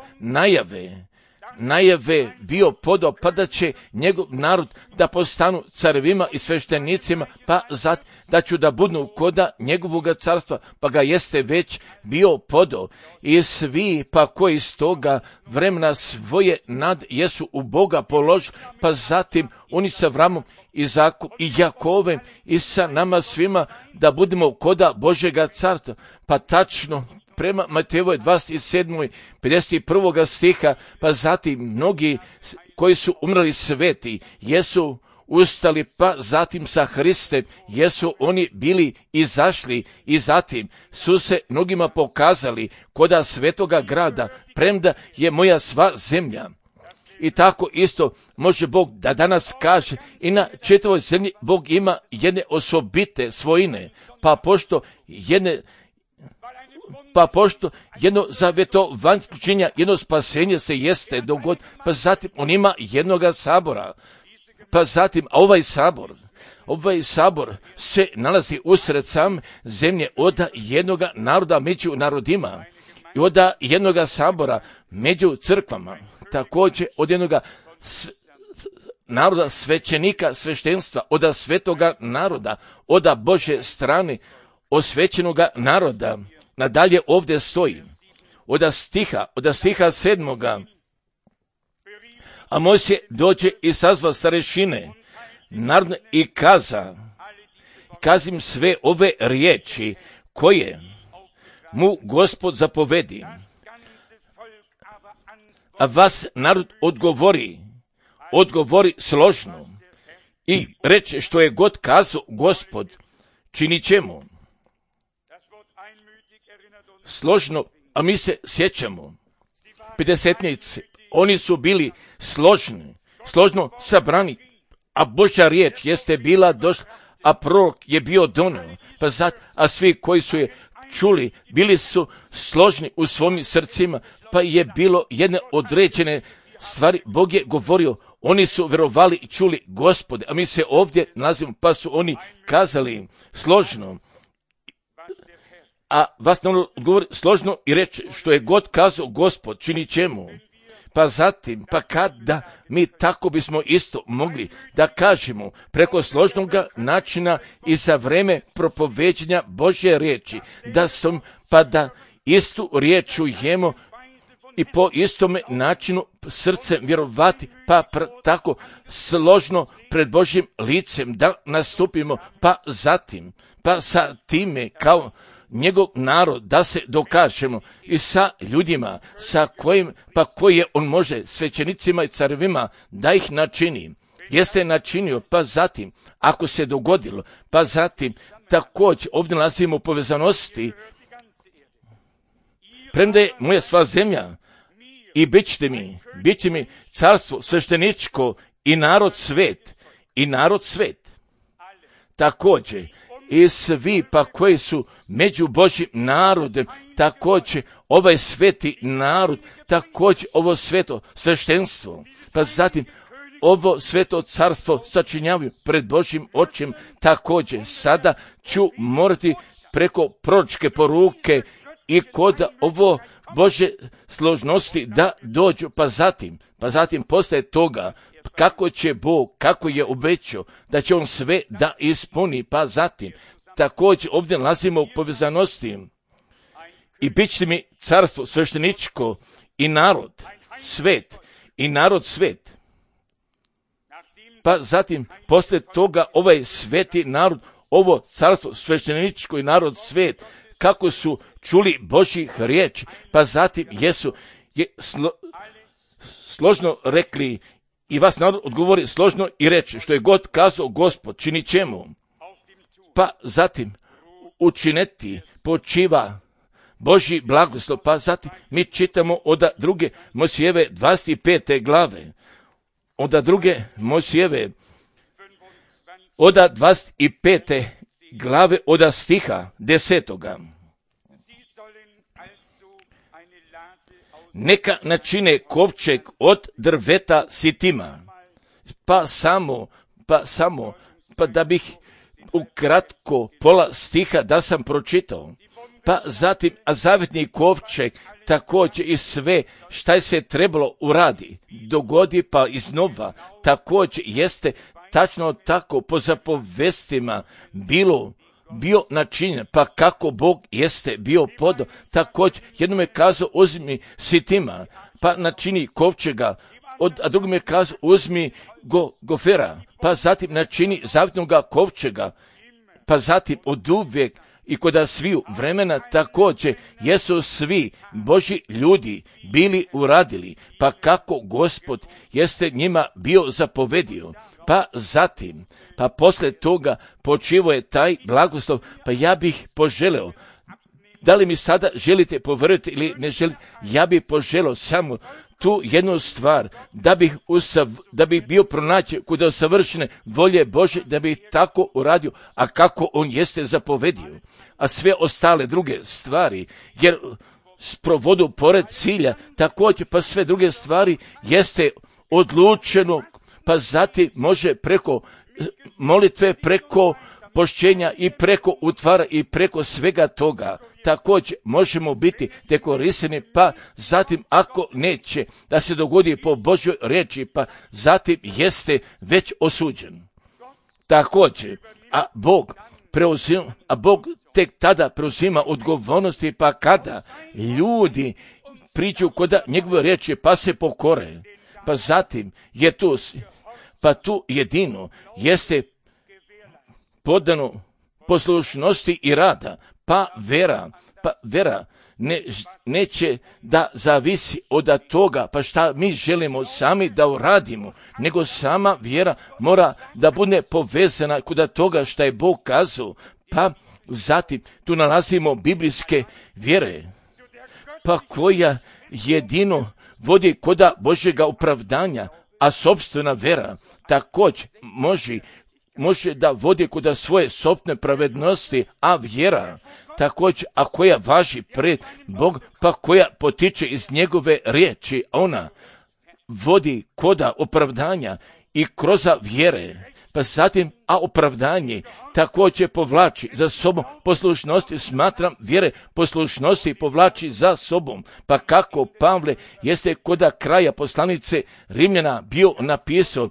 najave bio podao, pa da će njegov narod da postanu carevima i sveštenicima, pa da ću da budu koda njegovog carstva, pa ga jeste već bio podao. I svi pa koji iz toga vremena svoje nad jesu u Boga položili, pa zatim oni sa Avramom, Izakom i Jakovem i sa nama svima da budemo koda Božjega carstva. Pa tačno prema Matejevoj 27. 51. stiha, pa zatim mnogi koji su umrli sveti jesu ustali, pa zatim sa Hristem jesu oni bili izašli i zatim su se mnogima pokazali koda svetoga grada, premda je moja sva zemlja. I tako isto može Bog da danas kaže i na čitavoj zemlji Bog ima jedne osobite svojine, pa pošto jedno zavjetovanjsko učenja, jedno spasenje se jeste dogod, pa zatim on ima jednoga sabora, pa zatim ovaj sabor se nalazi usred same zemlje od jednoga naroda među narodima i od jednoga sabora među crkvama, također od jednoga naroda svećenika sveštenstva, od svetoga naroda, od Božje strane osvećenoga naroda. Nadalje ovdje stoji, od stiha 7. A Mojsije dođe i sazva starešine narodne i kazim sve ove riječi koje mu Gospod zapovedi. A vas narod odgovori složno i reče što je god kazao Gospod, činit ćemo. Složno, a mi se sjećamo, pedesetnici, oni su bili složno sabrani, a Božja riječ jeste bila došla, a prorok je bio donio, a svi koji su je čuli, bili su složni u svojim srcima, pa je bilo jedne određene stvari, Bog je govorio, oni su verovali i čuli Gospode, a mi se ovdje nalazimo, pa su oni kazali složno, a vas ne odgovori složno i reći što je god kazao Gospod, čini čemu. Pa zatim, pa kada mi tako bismo isto mogli da kažemo preko složnog načina i za vreme propoveđenja Božje riječi, da istu riječ čujemo i po istome načinu srcem vjerovati, pa tako složno pred Božjim licem da nastupimo, pa zatim, pa sa time kao njegov narod da se dokažemo i sa ljudima sa kojim, pa koje on može svećenicima i carevima da ih načini. Jeste načinio, pa zatim, ako se dogodilo, pa zatim, također ovdje nalazimo u povezanosti, premda je moja sva zemlja i bit će mi carstvo svešteničko i narod svet, također, i svi pa koji su među Božjim narodem, također ovaj sveti narod, također ovo sveto sveštenstvo, pa zatim ovo sveto carstvo sačinjavaju pred Božjim očem, također sada ću morati preko proročke poruke i kod ovo Božje složnosti da dođu, pa zatim postaje toga kako će Bog, kako je obećao da će on sve da ispuni, pa zatim također ovdje nalazimo u povezanosti i bit će mi carstvo svešteničko i narod svet, pa zatim poslije toga ovaj sveti narod, ovo carstvo svešteničko i narod svet, kako su čuli Božjih riječi, pa zatim složno rekli i vas narod odgovori složno i reče što je god kazao Gospod, čini čemu. Pa zatim učineti počiva Božji blagoslov, pa zatim mi čitamo od druge Mojsijeve 25. glave, od druge Mojsijeve od 25. glave od stiha 10. Neka načine kovčeg od drveta sitima, pa da bih ukratko pola stiha da sam pročitao, pa zatim a zavetni kovčeg također i sve šta se trebalo uradi, dogodi pa iznova, također jeste tačno tako po zapovestima bio načinjen, pa kako Bog jeste bio podao, također jednom je kazao uzmi sitima, pa načini kovčega, a drugom je kazao uzmi gofera, pa zatim načini zavetnog kovčega, pa zatim od uvijek i kod sviju vremena također jesu svi Božji ljudi bili uradili, pa kako Gospod jeste njima bio zapovedio, pa zatim, pa poslije toga počivo je taj blagoslov, pa ja bih poželeo, da li mi sada želite povjerovati ili ne želite, ja bih poželeo samo tu jednu stvar, da bih bio pronaći kod savršene volje Bože, da bih tako uradio, a kako on jeste zapovedio, a sve ostale druge stvari, jer sprovodu pored cilja, također pa sve druge stvari jeste odlučeno, pa zatim može preko molitve, preko pošćenja i preko utvara i preko svega toga. Također možemo biti dekorisani, pa zatim ako neće da se dogodi po Božjoj riječi, pa zatim jeste već osuđen. Također, a Bog tek tada preuzima odgovornosti, pa kada ljudi priču kod njegove riječi, pa se pokore, pa zatim je tu jedino jeste podano poslušnosti i rada, pa vera neće da zavisi od toga, pa šta mi želimo sami da uradimo, nego sama vjera mora da bude povezana kod toga šta je Bog kazao, pa zatim tu nalazimo biblijske vjere, pa koja jedino vodi kod Božjega opravdanja, a sopstvena vera također može može da vodi kod svoje sopne pravednosti, a vjera također, a koja važi pred Bog, pa koja potiče iz njegove riječi, ona vodi koda opravdanja i kroz vjere. Pa zatim, a opravdanje također povlači za sobom poslušnosti, smatram vjere poslušnosti povlači za sobom. Pa kako Pavle jeste koda kraja poslanice Rimljana bio napisao,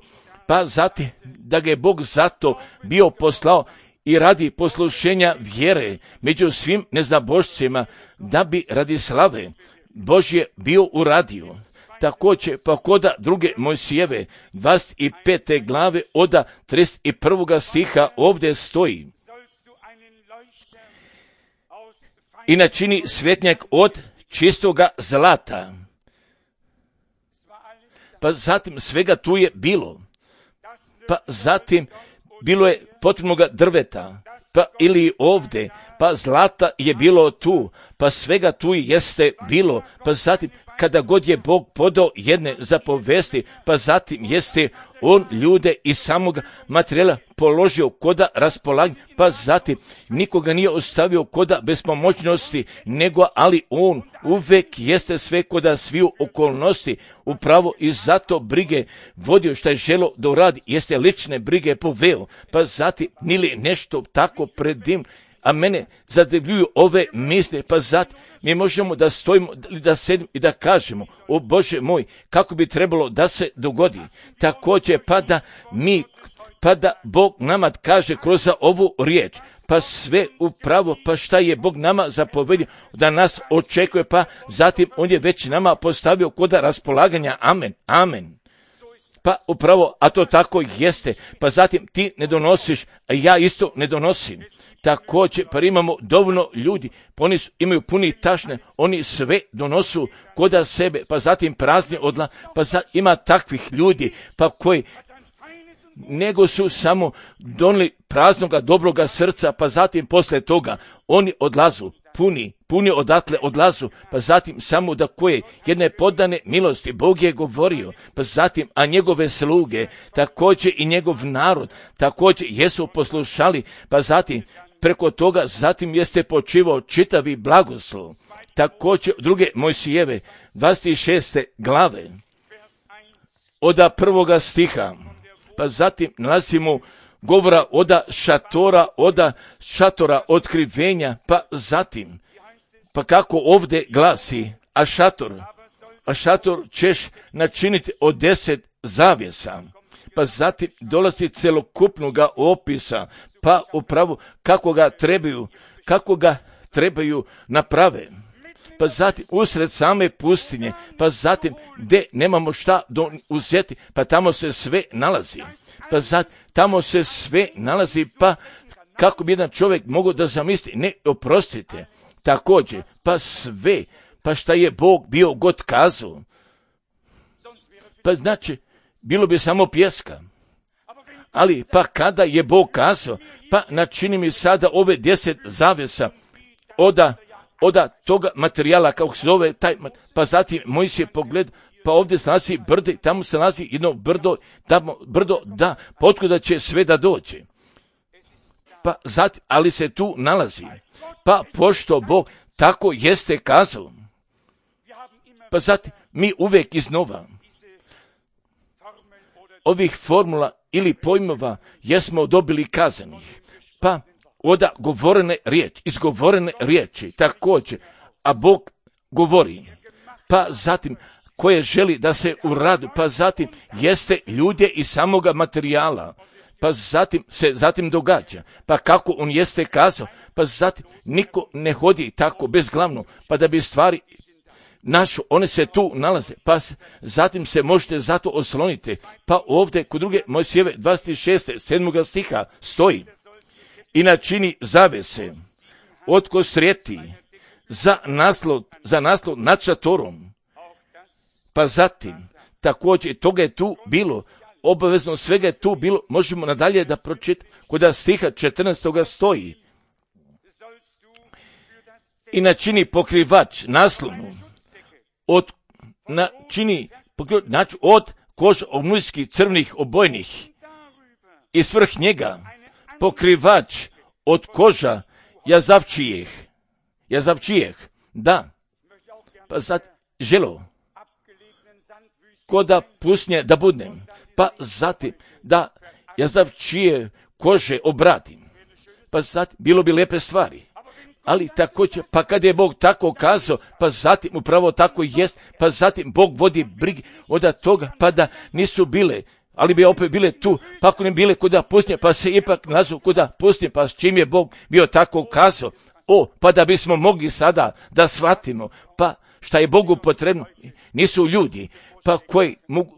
pa zatim da ga je Bog zato bio poslao i radi poslušenja vjere među svim neznabošcima, da bi radi slave Božje bio uradio. Također, pa koda druge Mojsijeve 25. glave od 31. stiha ovdje stoji: i načini svjetnjak od čistoga zlata. Pa zatim svega tu je bilo. Pa zatim bilo je potrebnoga drveta, pa ili ovdje, pa zlata je bilo tu, pa svega tu jeste bilo, pa zatim kada god je Bog podao jedne zapovesti, pa zatim jeste on ljude iz samog materijala položio koda raspolaganja, pa zatim nikoga nije ostavio koda bespomoćnosti, nego ali on uvek jeste sve koda sviju okolnosti, upravo i zato brige vodio šta je želo da uradi, jeste lične brige poveo, pa zatim nili nešto tako pred njim. A mene zadivljuju ove misle, pa zato mi možemo da stojimo, da sedimo i da kažemo: o Bože moj, kako bi trebalo da se dogodi. Također, pa da Bog nama kaže kroz ovu riječ, pa sve upravo, pa šta je Bog nama zapovedio da nas očekuje, pa zatim on je već nama postavio koda raspolaganja. Amen, amen. Pa upravo, a to tako jeste, pa zatim ti ne donosiš, a ja isto ne donosim. Također, pa imamo dovoljno ljudi, oni imaju puni tašne, oni sve donosu koda sebe, pa zatim prazni pa ima takvih ljudi, pa koji nego su samo donili praznoga dobroga srca, pa zatim posle toga oni odlazu, puni odatle odlazu, pa zatim samo da koje jedne podane milosti Bog je govorio, pa zatim, a njegove sluge, također i njegov narod, također jesu poslušali, pa zatim preko toga zatim jeste počivao čitavi blagoslov. Također druge Mojsijeve 26. glave od 1. stiha, pa zatim nalazimo govora od šatora otkrivenja, pa zatim, pa kako ovdje glasi, a šator ćeš načiniti od 10 zavjesa, pa zatim dolazi celokupnoga opisa, pa upravo kako ga trebaju naprave. Pa zatim usred same pustinje, pa zatim gdje nemamo šta uzeti, pa tamo se sve nalazi. Pa zatim tamo se sve nalazi, pa kako bi jedan čovjek mogao da zamisli, ne, oprostite, također, pa sve, pa šta je Bog bio god kazao, pa znači, bilo bi samo pjeska. Ali pa kada je Bog kazao, pa načini mi sada ove 10 zavjesa od toga materijala, kako se zove taj, pa zatim Mojsije pogled, pa ovdje se nalazi brdo, tamo se nalazi jedno brdo, da, pa otkuda će sve da dođe. Pa zatim, ali se tu nalazi, pa pošto Bog tako jeste kazao, pa zatim mi uvijek iznova ovih formula ili pojmova jesmo dobili kazanih, pa od izgovorene riječi također, a Bog govori, pa zatim koje želi da se uradi, pa zatim jeste ljude iz samoga materijala, pa zatim događa, pa kako on jeste kazao, pa zatim niko ne hodi tako bezglavno, pa da bi stvari našu, one se tu nalaze, pa zatim se možete zato osloniti, pa ovdje kod druge Mojsijeve 26. 7. stiha stoji: i načini zavese od kostrijeti za naslov nad šatorom. Pa zatim, također toga je tu bilo, obavezno svega je tu bilo, možemo nadalje da pročitamo, kod stiha 14. stoji: i načini pokrivač naslonu od koža ovnujskih crvnih obojnih i svrh njega pokrivač od koža jazavčijeh, da, pa sad želo koda pusnje da budnem, pa zatim da jazavčije kože obratim, pa zatim bilo bi lepe stvari. Ali također, pa kad je Bog tako kazao, pa zatim upravo tako jest, pa zatim Bog vodi brige od toga, pa da nisu bile, ali bi opet bile tu, pa ako ne bile kuda pustinje, pa se ipak nazvu kuda pustinje, pa s čim je Bog bio tako kazao. Pa da bismo mogli sada da shvatimo, pa šta je Bogu potrebno, nisu ljudi, pa koji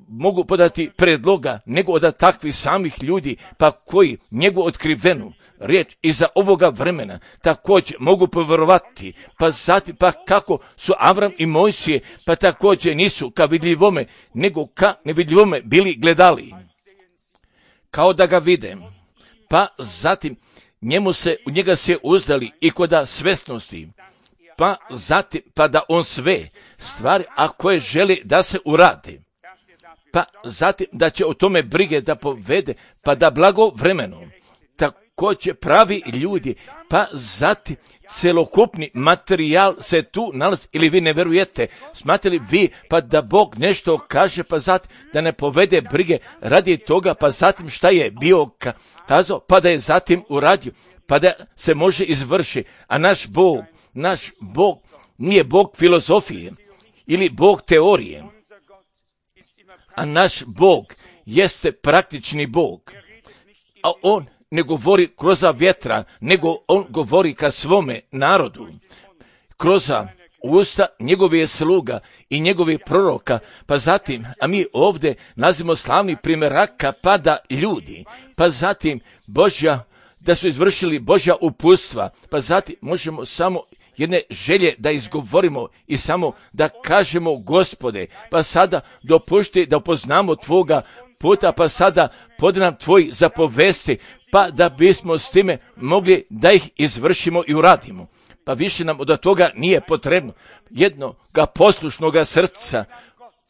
mogu podati predloga, nego od takvih samih ljudi, pa koji njegu otkrivenu riječ iza ovoga vremena također mogu povjerovati, pa zatim pa kako su Avram i Mojsije, pa također nisu ka vidljivome, nego ka nevidljivome bili gledali, kao da ga vide, pa zatim u njega se uzdali i koda svesnosti, pa zatim pa da on sve stvari, a koje želi da se urade, pa zatim da će o tome brige da povede, pa da blago vremeno također pravi ljudi, pa zatim celokupni materijal se tu nalazi, ili vi ne verujete, smatrali vi pa da Bog nešto kaže, pa zatim da ne povede brige radi toga, pa zatim šta je bio kazao, pa da je zatim uradio, pa da se može izvrši, a naš Bog nije Bog filozofije ili Bog teorije, a naš Bog jeste praktični Bog, a on ne govori kroz vjetra, nego on govori ka svome narodu, kroz usta njegovih sluga i njegovih proroka, pa zatim, a mi ovdje nazivamo slavni primjeraka, pa da ljudi, pa zatim da su izvršili Božja uputstva, pa zatim možemo samo jedne želje da izgovorimo i samo da kažemo, Gospode, pa sada dopušti da upoznamo tvoga puta, pa sada podaj nam tvoj zapovesti, pa da bismo s time mogli da ih izvršimo i uradimo. Pa više nam od toga nije potrebno jednoga poslušnoga srca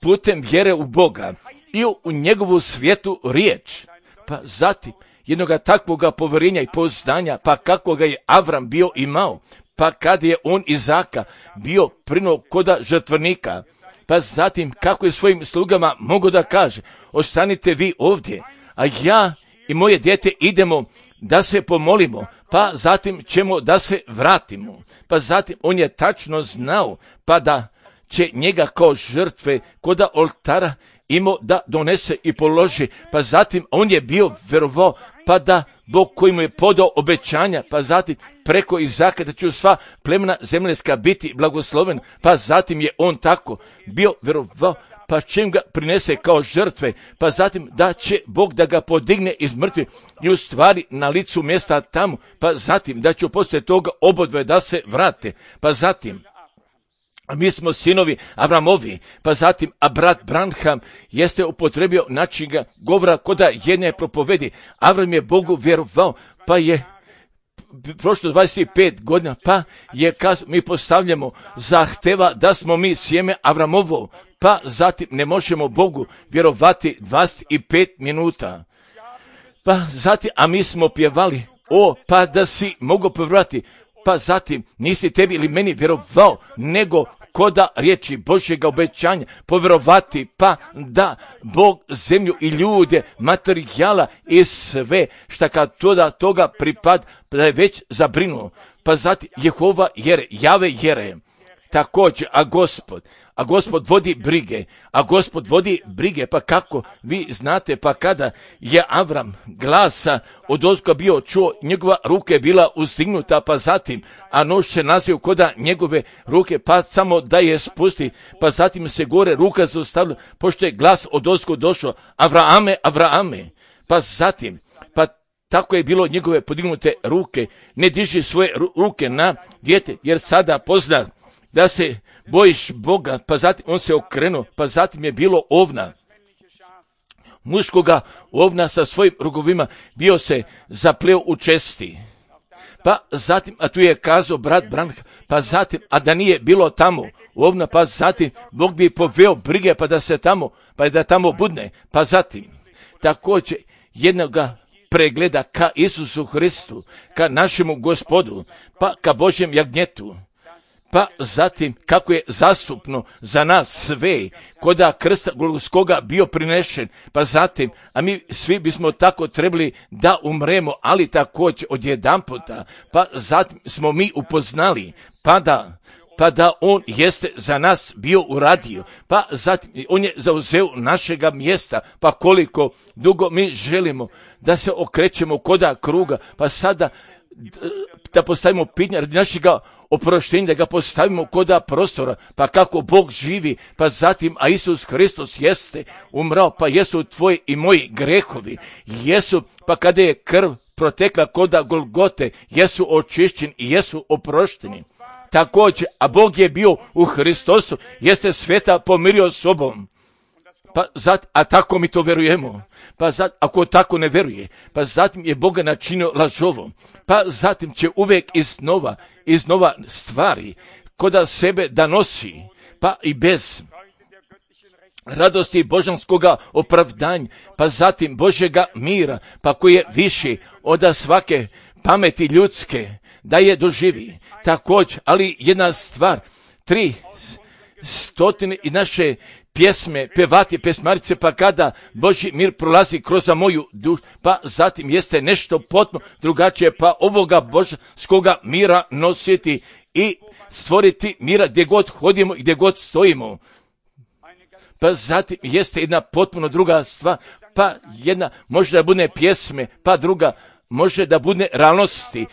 putem vjere u Boga i u njegovu svetu riječ, pa zatim jednoga takvoga povjerenja i pouzdanja, pa kako ga je Avram bio imao, pa kad je on Izaka bio prinuo koda žrtvenika, pa zatim kako je svojim slugama mogo da kaže, ostanite vi ovdje, a ja i moje dijete idemo da se pomolimo, pa zatim ćemo da se vratimo. Pa zatim on je tačno znao, pa da će njega kao žrtve koda oltara imao da donese i položi, pa zatim on je bio verovao, pa da Bog koji mu je podao obećanja, pa zatim preko Izaka da će sva plemena zemljeska biti blagosloven, pa zatim je on tako bio verovao, pa čim ga prinese kao žrtve, pa zatim da će Bog da ga podigne iz mrtvih i u stvari na licu mjesta tamo, pa zatim da će poslije toga obodve da se vrate, pa zatim mi smo sinovi Avramovi, pa zatim, a brat Branham jeste upotrebio način govora koda jedne propovedi. Avram je Bogu vjerovao, pa je prošlo 25 godina, pa je mi postavljamo zahteva da smo mi sjeme Avramovo, pa zatim ne možemo Bogu vjerovati 25 minuta. Pa zatim, a mi smo pjevali, pa da si mogu povjerovati, pa zatim nisi tebi ili meni vjerovao, nego koda riječi Božjega obećanja povjerovati, pa da Bog zemlju i ljude, materijala i sve šta kad toga pripad, da je već zabrinuo, pa zatim Jehova Jave jere. Također, a Gospod vodi brige, pa kako vi znate, pa kada je Avram glasa od ozgo bio čuo, njegova ruka je bila uzdignuta, pa zatim, a nož se nazio koda njegove ruke, pa samo da je spusti, pa zatim se gore ruka zaustavila, pošto je glas od ozgo došao, Avrame, pa zatim, pa tako je bilo njegove podignute ruke, ne diži svoje ruke na dijete, jer sada pozna da se bojiš Boga, pa zatim on se okrenuo, pa zatim je bilo ovna, muškoga ovna sa svojim rogovima, bio se zapleo u česti. Pa zatim, a tu je kazao brat Branham, pa zatim, a da nije bilo tamo ovna, pa zatim Bog bi poveo brige, pa da se tamo, pa da tamo budne, pa zatim, također jednoga pregleda ka Isusu Hristu, ka našemu Gospodu, pa ka Božjem jagnjetu. Pa zatim kako je zastupno za nas sve, koda krsta Golgotskoga bio prinešen, pa zatim, a mi svi bismo tako trebali da umremo, ali također odjedanputa, pa zatim smo mi upoznali, pa da on jeste za nas bio uradio, pa zatim on je zauzeo našega mjesta, pa koliko dugo mi želimo da se okrećemo koda kruga, pa sada da postavimo pitanje radi našega oproštenja, da ga postavimo koda prostora, pa kako Bog živi, pa zatim, a Isus Hristos jeste umrao, pa jesu tvoji i moji grehovi, jesu, pa kada je krv protekla koda Golgote, jesu očišćeni i jesu oprošteni. Također, a Bog je bio u Hristosu, jeste sveta pomirio sobom. Pa a tako mi to verujemo. Pa ako tako ne veruje, pa zatim je Boga načinio lažovom. Pa zatim će uvijek iznova stvari koda sebe da nosi, pa i bez radosti božanskoga opravdanja, pa zatim Božjega mira, pa koji je viši od svake pameti ljudske, da je doživi. Također, ali jedna stvar, 300 i naše pjesme, pevati, pesmarice, pa kada Božji mir prolazi kroz moju dušu, pa zatim jeste nešto potpuno drugačije, pa ovoga božanskoga mira nositi i stvoriti mira gdje god hodimo i gdje god stojimo. Pa zatim jeste jedna potpuno druga stvar, pa jedna može da bude pjesme, pa druga može da bude realnosti,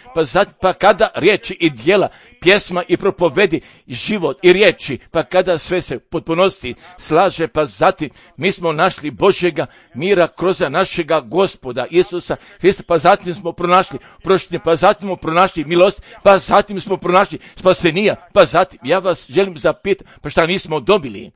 pa kada riječi i djela, pjesma i propovedi, život i riječi, pa kada sve se potpunosti slaže, pa zatim mi smo našli Božjega mira kroz našega Gospoda Isusa Hrista, pa zatim smo pronašli proštenje, pa zatim smo pronašli milost, pa zatim smo pronašli spasenija, pa zatim ja vas želim zapitati, pa šta nismo dobili?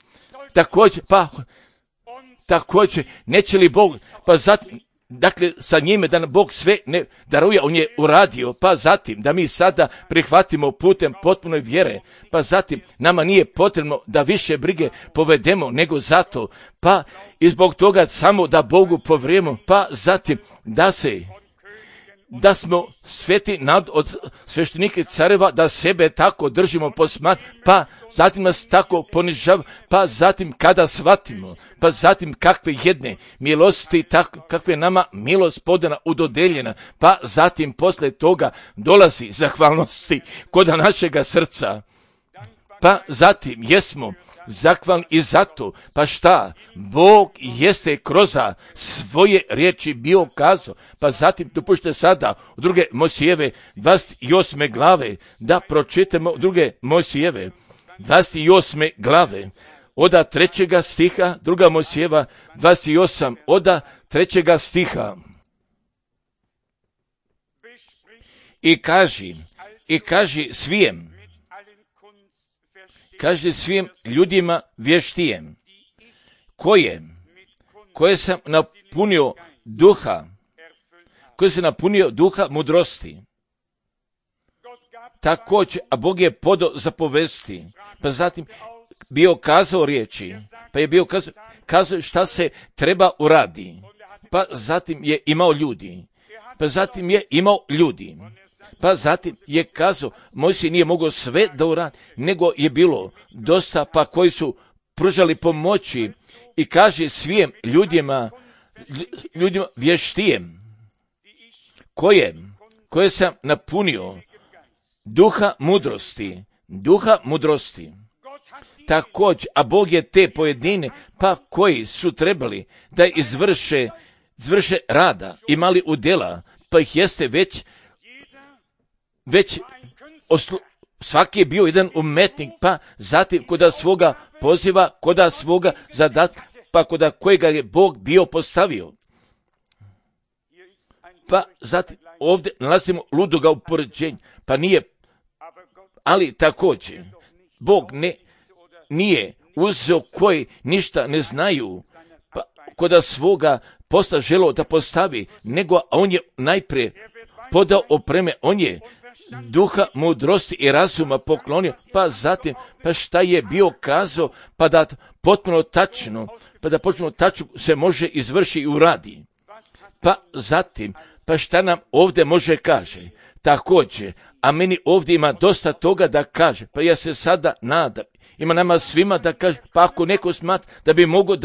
Također, neće li Bog, pa zatim, dakle, sa njime da nam Bog sve ne daruje, on je uradio, pa zatim da mi sada prihvatimo putem potpunoj vjere, pa zatim nama nije potrebno da više brige povedemo nego zato, pa i zbog toga samo da Bogu povrijemo, pa zatim da smo sveti od sveštenike careva, da sebe tako držimo posmat, pa zatim nas tako ponižava, pa zatim kada shvatimo, pa zatim kakve jedne milosti, kakve nama milost podana udodeljena, pa zatim posle toga dolazi zahvalnosti kod našega srca, pa zatim jesmo zahvalni i zato, pa šta, Bog jeste kroz svoje riječi bio kazao, pa zatim dopušte sada u druge Mojsijeve 28. glave, da pročitamo druge Mojsijeve 28. glave, od 3. stiha, druga Mojsijeva 28, od 3. stiha. I kaži svim ljudima vještijem, koje sam napunio duha mudrosti. Također, a Bog je podao zapovesti, pa zatim bio kazao riječi, pa je bio kazao šta se treba uradi, pa zatim je imao ljudi, pa zatim je kazao, Mojsije nije mogao sve da uradi, nego je bilo dosta, pa koji su pružali pomoći, i kaže svim ljudima vještijem, koje sam napunio duha mudrosti. Također, a Bog je te pojedine, pa koji su trebali da izvrše rada, imali udjela, pa ih jeste već svaki je bio jedan umetnik, pa zatim koda svoga poziva, koda svoga zadatka, pa koda kojega je Bog bio postavio. Pa zatim ovdje nalazimo ludoga upoređenja, pa nije, ali također Bog nije uzeo koji ništa ne znaju, pa koda svoga posta želio da postavi, nego on je najprije podao opreme, on je duha mudrosti i razuma poklonio, pa zatim, pa šta je bio kazao, pa da potpuno tačno se može izvrši i uradi. Pa zatim, pa šta nam ovdje može kaže? Također, a meni ovdje ima dosta toga da kaže, pa ja se sada nadam, ima nama svima da kaže, pa ako neko smatra da bi mogao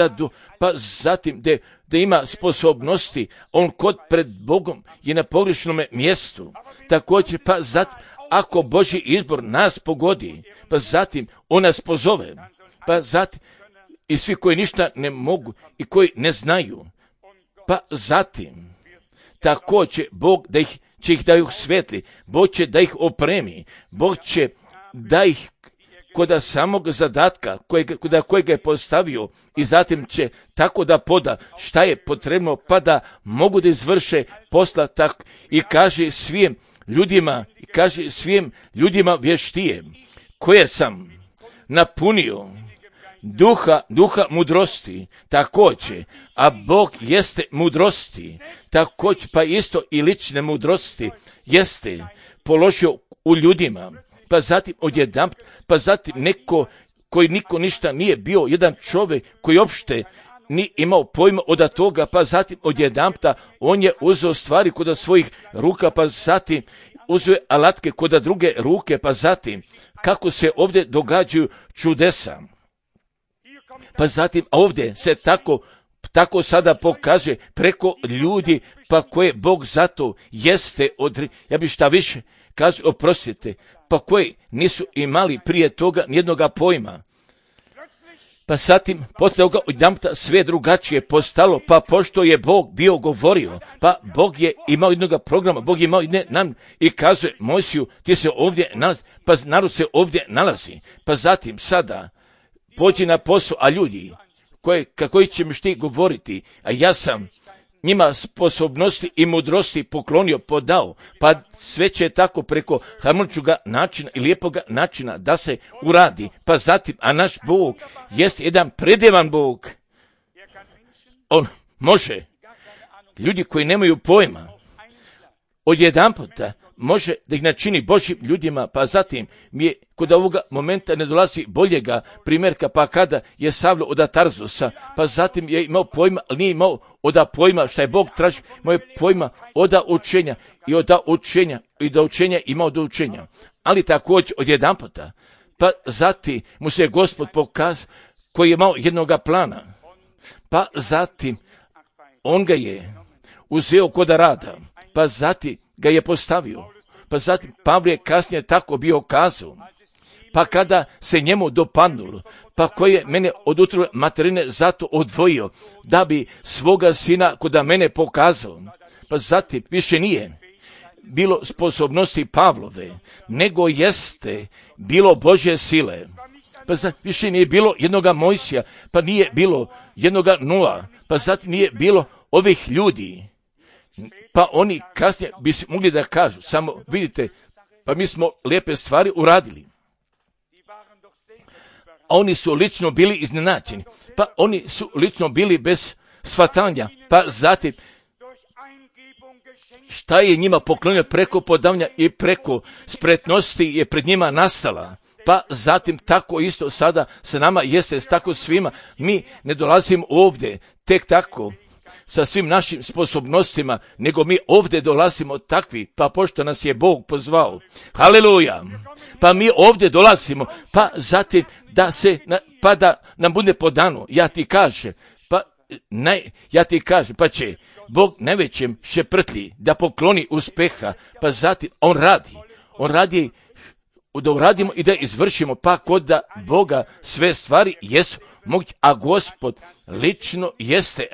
pa zatim da ima sposobnosti, on kod pred Bogom je na pogrešnom mjestu. Također, pa zatim, ako Božji izbor nas pogodi, pa zatim on nas pozove, pa zatim i svi koji ništa ne mogu i koji ne znaju, pa zatim također Bog će ih da ih svetli, Bog će da ih opremi, Bog će da ih kod samog zadatka kojega je postavio i zatim će tako da poda šta je potrebno pa da mogu da izvrše posla tako i kaže svim ljudima vještije koje sam napunio duha mudrosti također, a Bog jeste mudrosti, također pa isto i lične mudrosti jeste položio u ljudima, pa zatim odjedanput, pa zatim neko koji niko ništa nije bio, jedan čovjek koji uopšte ni imao pojma od toga, pa zatim odjedanput on je uzeo stvari kod svojih ruka, pa zatim uzeo alatke kod druge ruke, pa zatim kako se ovdje događaju čudesa. Pa zatim ovdje se tako sada pokazuje preko ljudi, pa koje Bog zato jeste, ja bi šta više kazao, oprostite, pa koji nisu imali prije toga nijednoga pojma. Pa zatim, poslije toga odjedanput sve drugačije postalo, pa pošto je Bog bio govorio, pa Bog je imao jednoga programa, Bog je imao i kazuje Mojsiju, ti se ovdje nalazi, pa narod se ovdje nalazi, pa zatim sada pođi na posao, a ljudi kako ćeš ti govoriti, a ja sam njima sposobnosti i mudrosti poklonio, podao, pa sve će tako preko harmoničnog načina i lijepog načina da se uradi, pa zatim, a naš Bog jest jedan predivan Bog. On može, ljudi koji nemaju pojma, odjedanputa može da ih načini Božjim ljudima, pa zatim mi je kod ovoga momenta ne dolazi boljega primjerka, pa kada je Savlo od Tarzusa, pa zatim je imao pojma, ali nije imao od pojma šta je Bog traži, imao je pojma od učenja i do učenja imao do učenja. Ali također odjedanputa, pa zatim mu se Gospod pokazao koji je imao jednoga plana, pa zatim on ga je uzeo kod rada, pa zatim ga je postavio, pa zatim Pavle je kasnije tako bio kazao, pa kada se njemu dopadnulo, pa koji je mene od utrobe materine zato odvojio, da bi svoga sina kod mene pokazao, pa zatim više nije bilo sposobnosti Pavlove, nego jeste bilo Božje sile, pa zatim više nije bilo jednoga Mojsija, pa nije bilo jednoga Noa, pa zatim nije bilo ovih ljudi, pa oni kasnije bi mogli da kažu, samo vidite, pa mi smo lijepe stvari uradili. A oni su lično bili iznenađeni, pa oni su lično bili bez shvatanja, pa zatim šta je njima poklonio preko podavanja i preko spretnosti je pred njima nastala. Pa zatim tako isto sada sa nama jeste tako svima. Mi ne dolazimo ovdje tek tako sa svim našim sposobnostima, nego mi ovdje dolazimo takvi, pa pošto nas je Bog pozvao. Haleluja! Pa mi ovdje dolazimo, pa zatim pa da nam bude podano, ja ti kažem, pa će Bog najvećem šeprtlji da pokloni uspeha, pa zatim on radi da uradimo i da izvršimo, pa kod da Boga sve stvari jesu moguće, a Gospod lično jeste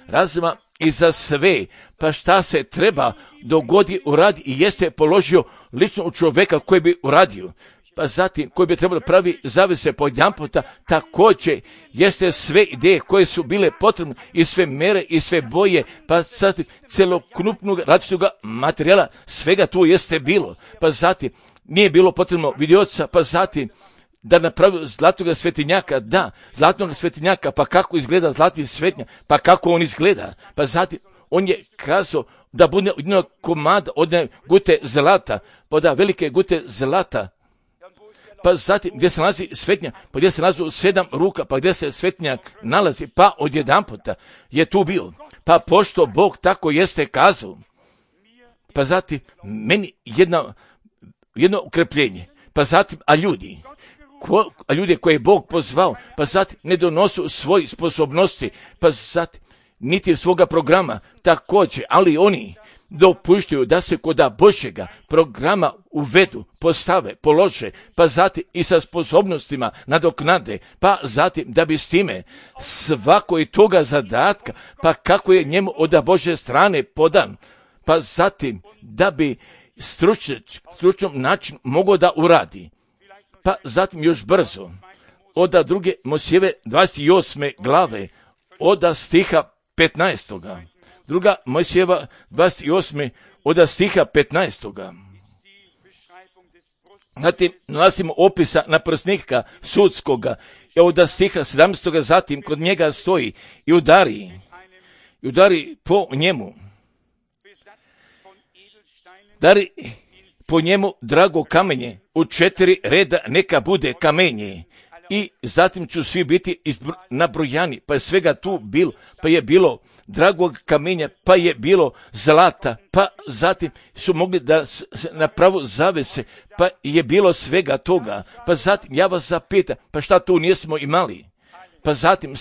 razuma i za sve, pa šta se treba dogodi uradi i jeste položio lično u čovjeka koji bi uradio, pa zatim koji bi trebalo pravi zavise podjedanputa, također jeste sve ideje koje su bile potrebne i sve mere i sve boje, pa zatim celokupnog različitog materijala, svega tu jeste bilo, pa zatim nije bilo potrebno vidioca, pa zatim da napravi zlatnog svetinjaka, zlatnog svetinjaka, pa kako izgleda zlatni svetinjak, pa kako on izgleda, pa zatim on je kazao da bude od jednog komada, od jedne gute zlata, pa da velike gute zlata, pa zatim gdje se nalazi svetinjak, pa gdje se nalazi 7 ruka, pa gdje se svetinjak nalazi, pa odjedanputa je tu bio. Pa pošto Bog tako jeste kazao, pa zatim meni jedno ukrepljenje, pa zatim, a ljudi koje je Bog pozvao, pa zatim ne donosu svoje sposobnosti, pa zatim niti svoga programa također, ali oni dopuštaju da se kod Božjega programa uvedu, postave, polože, pa zatim i sa sposobnostima nadoknade, pa zatim da bi s time svako i toga zadatka, pa kako je njemu od Božje strane podan, pa zatim da bi stručnom načinu mogao da uradi. Pa zatim još brzo, od 2. Mojsijeve 28. glave, od stiha 15. 2. Mojsijeva 28. od stiha 15. Zatim nalazimo opisa naprsnika sudskoga, i od stiha 17. zatim kod njega stoji i udari po njemu. Dari po njemu drago kamenje, u 4 reda neka bude kamenje. I zatim ću svi biti nabrojani, pa je svega tu bilo, pa je bilo dragog kamenja, pa je bilo zlata, pa zatim su mogli da napravu zavese, pa je bilo svega toga. Pa zatim ja vas zapitam, pa šta tu nismo imali? Pa zatim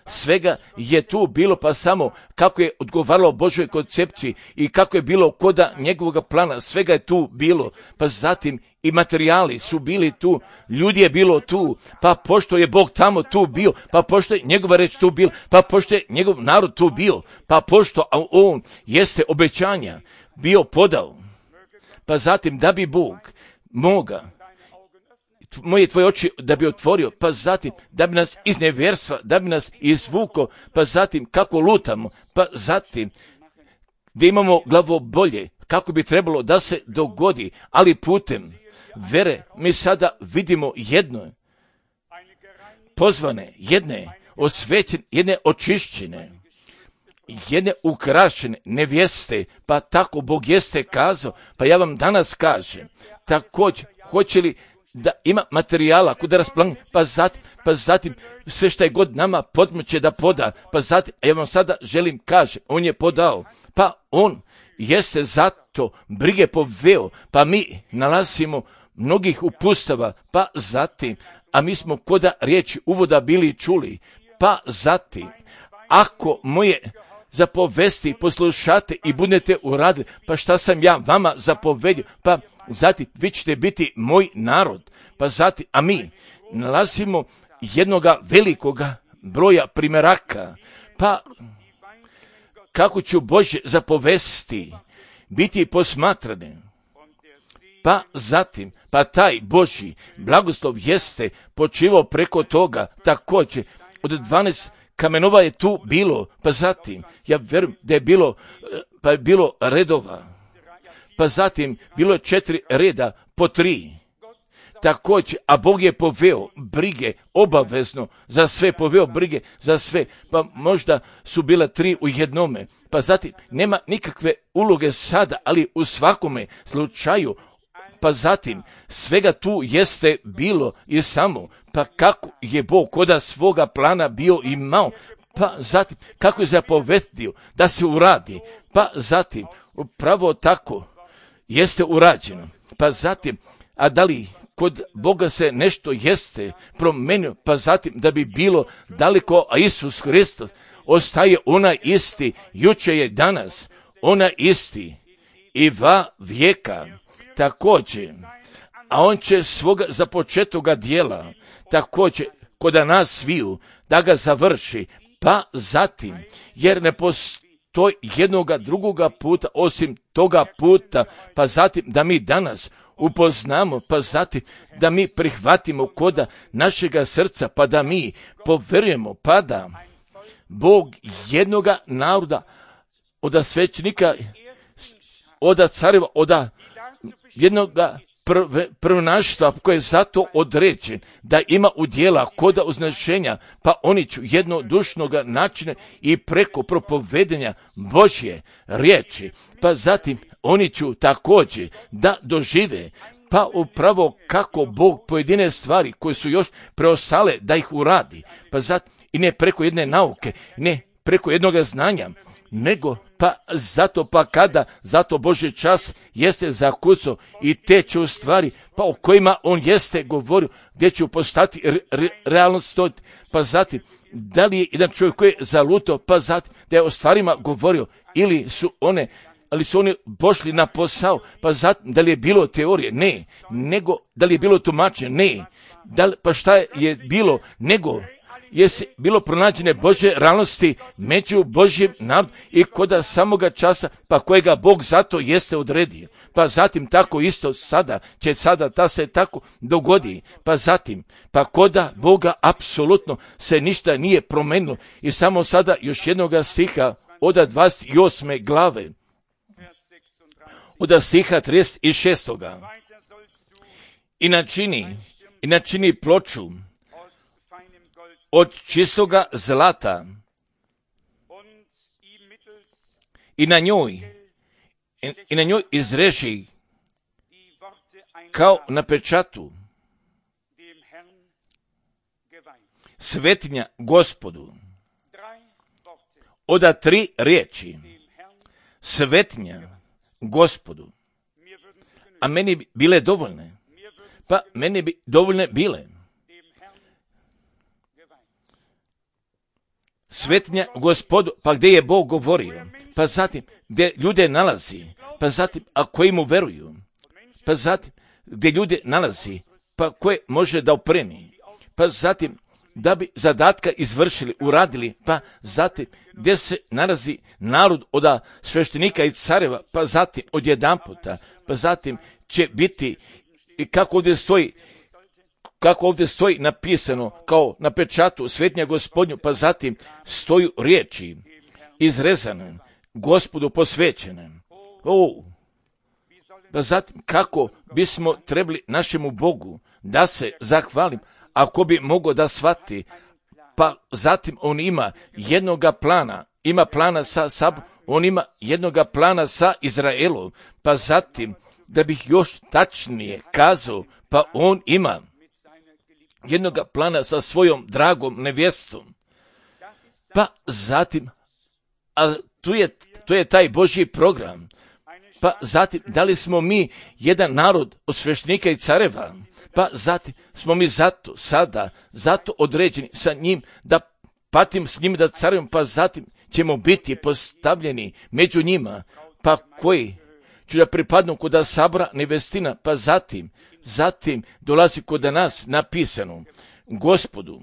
svega je tu bilo, pa samo kako je odgovaralo Božoj koncepciji i kako je bilo koda njegovog plana, svega je tu bilo. Pa zatim i materijali su bili tu, ljudi je bilo tu, pa pošto je Bog tamo tu bio, pa pošto je njegova reč tu bila, pa pošto je njegov narod tu bio, pa pošto on jeste obećanja bio podao, pa zatim da bi Bog moga tvoje oči da bi otvorio, pa zatim da bi nas iz nevjerstva, da bi nas izvuko, pa zatim kako lutamo, pa zatim da imamo glavobolje, kako bi trebalo da se dogodi, ali putem vere mi sada vidimo jedno pozvane, jedne osvećene, jedne očišćene, jedne ukrašene nevjeste, pa tako Bog jeste kazao, pa ja vam danas kažem, također, hoće li da ima materijala kuda rasplan, pa zatim sve što je god nama podmoće da poda, pa zatim, ja vam sada želim kažem, on je podao, pa on jeste zato brige poveo, pa mi nalazimo mnogih upustava, pa zatim, a mi smo koda riječi uvoda bili čuli, pa zatim, ako moje zapovesti poslušate i budete uradili, pa šta sam ja vama zapovedio, pa zatim vi ćete biti moj narod, pa zatim, a mi nalazimo jednoga velikoga broja primjeraka, pa kako ću Božje zapovesti biti posmatrane, pa zatim, pa taj Božji blagoslov jeste počivao preko toga, također od 12 kamenova je tu bilo, pa zatim, ja vjerujem da je bilo, pa je bilo redova, pa zatim bilo je 4 reda po 3. Također, a Bog je poveo brige obavezno za sve, poveo brige za sve, pa možda su bile 3 u jednome, pa zatim nema nikakve uloge sada, ali u svakome slučaju, pa zatim svega tu jeste bilo i samo, pa kako je Bog koda svoga plana bio imao, pa zatim kako je zapovedio da se uradi, pa zatim upravo tako jeste urađeno, pa zatim, a da li kod Boga se nešto jeste promenio, pa zatim da bi bilo daleko, a Isus Hristos ostaje onaj isti, juče je danas, onaj isti i va vijeka, također, a on će svoga započetoga dijela, također, kod nas sviju, da ga završi, pa zatim, jer ne postoji jednoga drugoga puta, osim toga puta, pa zatim da mi danas upoznamo, pa zatim da mi prihvatimo koda našega srca, pa da mi poverujemo, pa da Bog jednoga naroda, od svećenika, od careva, od jednoga prvenaštva koje je zato određen da ima udjela koda uznašenja, pa oni ću jednodušnoga načina i preko propovedenja Božje riječi, pa zatim oni ću također da dožive pa upravo kako Bog pojedine stvari koje su još preostale da ih uradi, pa i ne preko jedne nauke, ne preko jednog znanja, nego pa zato Božji čas jeste zakucao i te će u stvari pa o kojima on jeste govorio, gdje će postati realnost, pa zatim da li je jedan čovjek koji je zalutao, pa zatim da je o stvarima govorio, ili su oni pošli na posao, pa zatim da li je bilo teorije? Ne. Nego da li je bilo tumačenje? Ne. Pa šta je bilo? Nego je bilo pronađene Božje realnosti među Božjim narodom i koda samoga časa, pa kojega Bog zato jeste odredio. Pa zatim tako isto sada da se tako dogodi. Pa zatim, pa koda Boga apsolutno se ništa nije promenilo. I samo sada još jednoga stiha od 28. glave, od stiha 36. I načini ploču od čistoga zlata i na njoj izreži kao na pečatu svetinja Gospodu. Od 3 riječi svetinja Gospodu. A meni bi bile dovoljne. Pa meni bi dovoljne bile. Svetinja Gospodu, pa gdje je Bog govorio, pa zatim gdje ljude nalazi, pa zatim a koji mu veruju, pa zatim gdje ljude nalazi, pa koje može da opremi, pa zatim da bi zadatka izvršili, uradili, pa zatim gdje se nalazi narod od sveštenika i careva, pa zatim odjedanputa, pa zatim će biti i kako ovdje stoji napisano kao na pečatu svetinja Gospodnju, pa zatim stoju riječi izrezane, Gospodu posvećene. Pa zatim kako bismo trebali našemu Bogu da se zahvalim, ako bi mogao da shvati, pa zatim on ima jednoga plana, ima plana sa Sabom, on ima jednoga plana sa Izraelom, pa zatim da bih još tačnije kazao, pa on ima jednoga plana sa svojom dragom nevjestom. Pa zatim, a tu je taj Božji program. Pa zatim, da li smo mi jedan narod od sveštenika i careva? Pa zatim smo mi zato određeni sa njim, da patim s njim, da carujemo, pa zatim ćemo biti postavljeni među njima, pa koji ću da pripadnu kod sabora nevestina, pa zatim dolazi kod nas napisano Gospodu,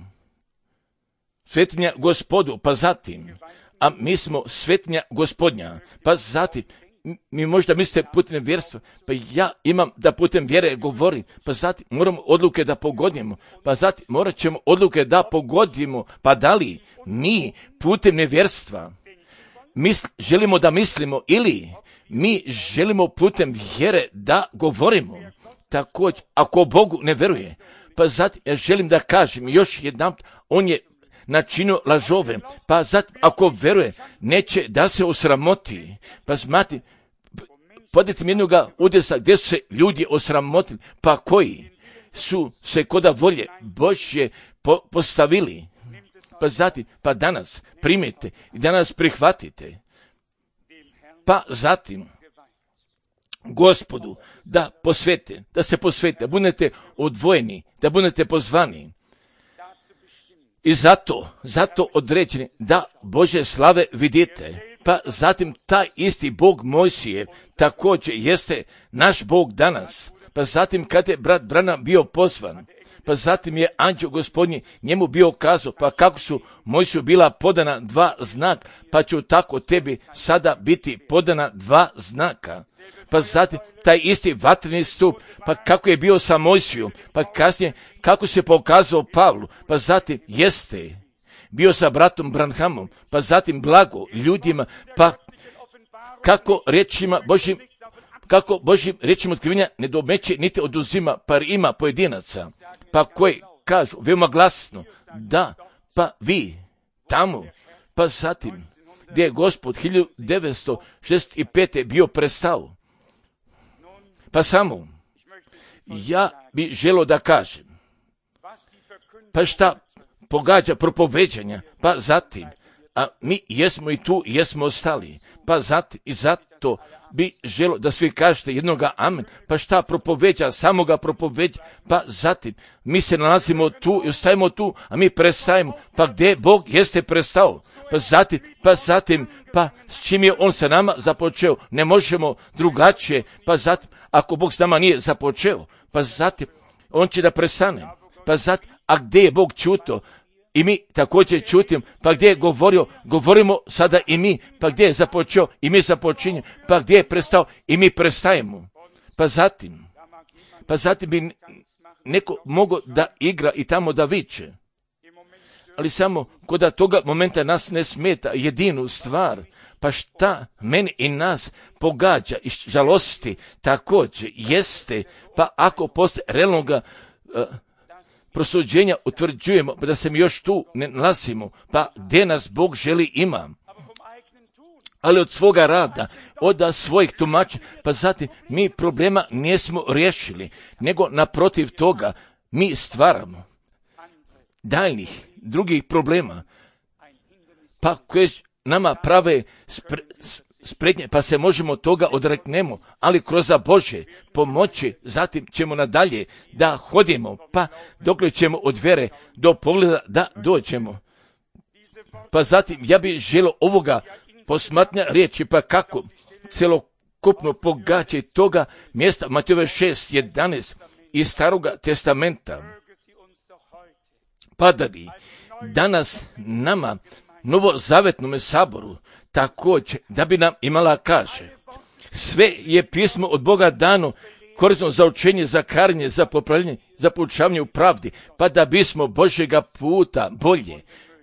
svetinja Gospodu, pa zatim, a mi smo svetinja Gospodnja, pa zatim, mi možda mislite putem vjerstva, pa ja imam da putem vjere govorim, pa zatim moramo odluke da pogodimo, pa zatim morat ćemo odluke da pogodimo, pa da li mi putem nevjerstva želimo da mislimo ili mi želimo putem vjere da govorimo. Također, ako Bogu ne veruje, pa zatim ja želim da kažem još jednom, on je načinio lažove, pa zatim ako veruje, neće da se osramoti. Pa znate, podajte mi jednoga udesa gdje su se ljudi osramotili, pa koji su se koda volje Božje postavili. Pa zatim, pa danas primite i danas prihvatite. Pa zatim, Gospodu da se posvete, da budete odvojeni, da budete pozvani. I zato određeni da Božje slave vidite. Pa zatim taj isti Bog Mojsije također jeste naš Bog danas. Pa zatim kad je brat Branham bio pozvan, pa zatim je anđeo Gospodnji njemu bio kazao, pa kako su Mojsiju bila podana 2 znaka, pa će tako tebi sada biti podana 2 znaka. Pa zatim taj isti vatreni stup, pa kako je bio sa Mojsijom, pa kasnije kako se pokazao Pavlu, pa zatim jeste bio sa bratom Branhamom, pa zatim blago ljudima, pa kako Božjim riječima otkrivenja ne domeće niti oduzima, pa ima pojedinaca, pa koji kažu veoma glasno, da, pa vi tamo, pa zatim gdje je Gospod 1965. bio prestao. Pa samo, ja bi želio da kažem, pa šta pogađa propoveđanja, pa zatim, a mi jesmo i tu, jesmo ostali, pa zatim i zato bi želio da svi kažete jednoga amen, pa šta propoveđa, samoga propoveđa, pa zatim mi se nalazimo tu i ostajemo tu, a mi prestajemo, pa gdje Bog jeste prestao, pa zatim, s čim je On sa nama započeo, ne možemo drugačije, pa zatim, ako Bog s nama nije započeo, pa zatim, On će da prestane, pa zatim, a gdje je Bog čuto, i mi također čutim, pa gdje je govorio, govorimo sada i mi, pa gdje je započeo i mi započinjemo, pa gdje je prestao i mi prestajemo. Pa zatim bi neko mogao da igra i tamo da viče. Ali samo kod toga momenta nas ne smeta jedinu stvar, pa šta meni i nas pogađa i žalosti također jeste, pa ako postoje realnoga prosuđenja utvrđujemo, pa da se mi još tu ne nalazimo, pa gdje nas Bog želi ima. Ali od svoga rada, od svojih tumača, pa zatim mi problema nismo riješili, nego naprotiv toga mi stvaramo daljnih drugih problema, pa koje nama prave spretnje, pa se možemo toga odreknemo, ali kroz Bože pomoći, zatim ćemo nadalje da hodimo, pa dokle ćemo od vjere do pogleda da dođemo. Pa zatim ja bih želio ovoga posmatnja riječi, pa kako celokupno pogađa toga mjesta Matejove 6:11 iz Staroga testamenta. Pa da bi danas nama novozavetnome saboru također da bi nam imala kaže, sve je pismo od Boga dano korisno za učenje, za karenje, za popravljanje, za poučavanje u pravdi, pa da bismo Božjega puta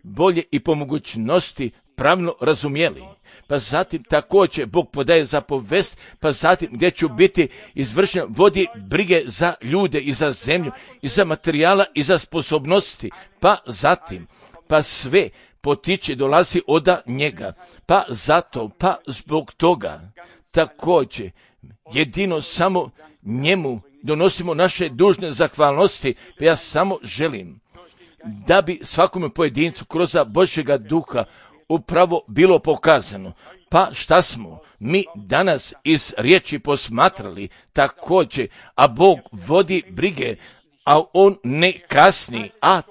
bolje i po mogućnosti pravno razumjeli. Pa zatim također Bog podaje zapovest, pa zatim gdje ću biti izvršen, vodi brige za ljude i za zemlju, i za materijala i za sposobnosti, pa zatim, pa sve potiče, dolazi od njega, pa zato, pa zbog toga, također, jedino samo njemu donosimo naše dužne zahvalnosti, pa ja samo želim da bi svakome pojedincu kroz Božjega duha upravo bilo pokazano, pa šta smo mi danas iz riječi posmatrali također, a Bog vodi brige, a On ne kasni, a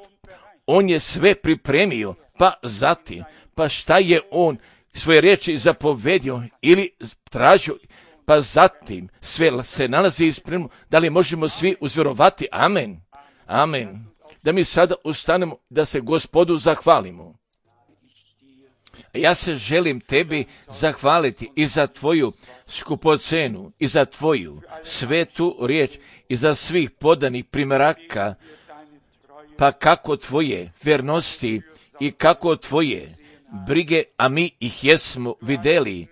On je sve pripremio, pa zatim, pa šta je On svoje riječi zapovedio ili tražio, pa zatim sve se nalazi ispremno, da li možemo svi uzvjerovati? Amen. Amen. Da mi sada ustanemo da se Gospodu zahvalimo. Ja se želim tebi zahvaliti i za tvoju skupocenu, i za tvoju svetu riječ, i za svih podanih primjeraka, pa kako tvoje vjernosti i kako tvoje brige, a mi ih jesmo vidjeli.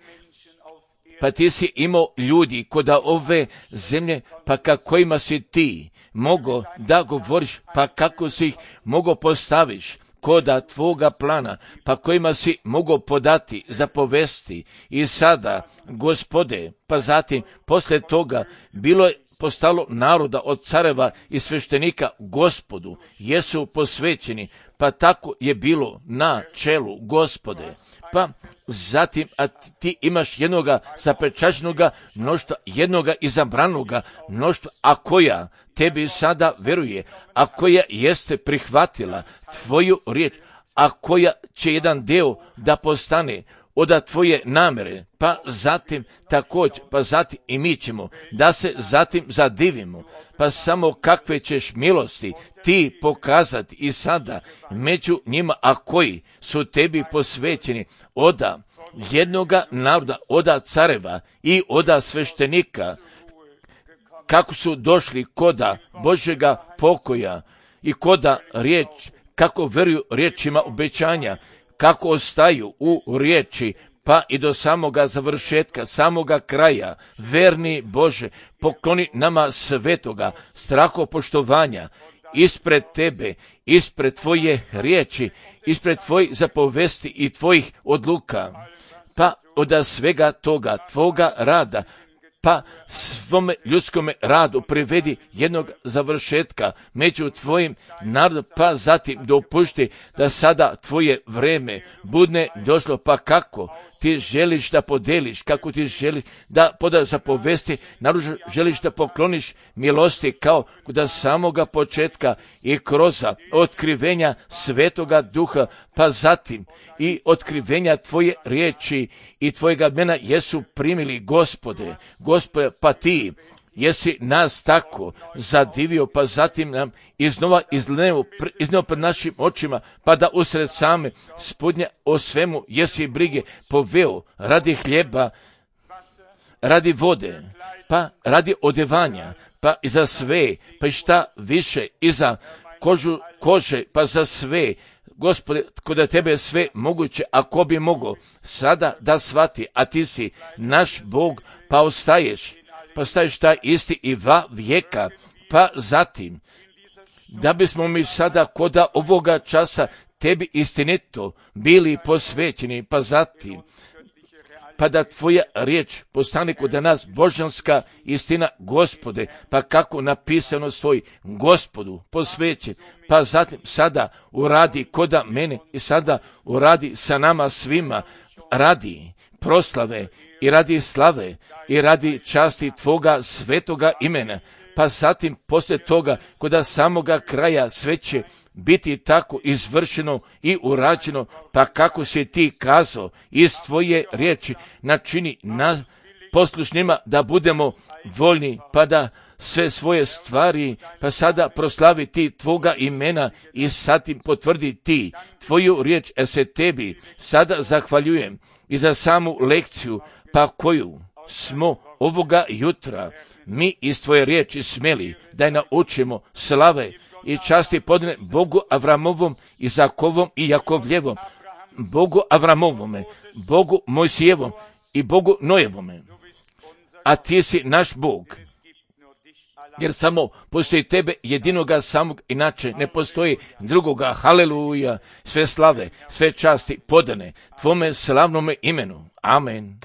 Pa ti si imao ljudi kod ove zemlje, pa kakvima si ti mogo da govoriš, pa kako si ih mogo postaviš koda tvoga plana, pa kojima si mogo podati zapovesti. I sada, Gospode, pa zatim poslije toga bilo je postalo naroda od careva i sveštenika Gospodu, jesu posvećeni, pa tako je bilo na čelu, Gospode. Pa zatim, a ti imaš jednoga zapečaćenoga mnoštva, jednoga izabranoga mnoštva, a koja tebi sada veruje, a koja jeste prihvatila tvoju riječ, a koja će jedan dio da postane od tvoje namere, pa zatim također, pa zatim i mi ćemo da se zatim zadivimo, pa samo kakve ćeš milosti ti pokazati i sada među njima, a koji su tebi posvećeni od jednoga naroda, od careva i od sveštenika, kako su došli koda Božjega pokoja i koda riječ, kako veruju riječima obećanja, kako ostaju u riječi, pa i do samoga završetka, samoga kraja. Verni Bože, pokloni nama svetoga strahopoštovanja ispred tebe, ispred tvoje riječi, ispred tvojih zapovesti i tvojih odluka, pa od svega toga, tvoga rada, pa sve tvome ljudskome radu privedi jednog završetka među tvojim narodom, pa zatim dopušti da sada tvoje vreme budne došlo, pa kako ti želiš da podeliš, kako ti želiš da zapovesti, naravno želiš da pokloniš milosti kao kod samoga početka i kroz otkrivenja Svetoga Duha, pa zatim i otkrivenja tvoje riječi i tvojega mena jesu primili, Gospode, pa ti jesi nas tako zadivio, pa zatim nam iznova izneo pred našim očima, pa da usred same spodnje o svemu jesi brige poveo radi hljeba, radi vode, pa radi odevanja, pa i za sve, pa i šta više, i za kože, pa za sve. Gospode, kod tebe je sve moguće, ako bi mogao sada da shvati, a ti si naš Bog, pa ostaješ taj isti i va vijeka, pa zatim, da bismo mi sada koda ovoga časa tebi istinito bili posvećeni, pa zatim, pa da tvoja riječ postane kod nas božanska istina, Gospode, pa kako napisano stoji, Gospodu posvećen, pa zatim sada uradi koda mene i sada uradi sa nama svima, radi proslave i radi slave i radi časti tvoga svetoga imena, pa zatim poslije toga kod samoga kraja sve će biti tako izvršeno i urađeno, pa kako si ti kazao iz tvoje riječi, načini nas poslušnima da budemo voljni, pa da sve svoje stvari, pa sada proslavi ti tvoga imena i zatim potvrdi ti tvoju riječ, se tebi sada zahvaljujem i za samu lekciju, pa koju smo ovoga jutra mi iz tvoje riječi smeli da je naučimo slave i časti podne Bogu Avramovom, Izakovom i Jakovljevom, Bogu Avramovome, Bogu Mojsijevom i Bogu Nojevome. A ti si naš Bog, jer samo postoji tebe jedinoga samog, inače ne postoji drugoga. Haleluja, sve slave, sve časti podane tvome slavnome imenu. Amen.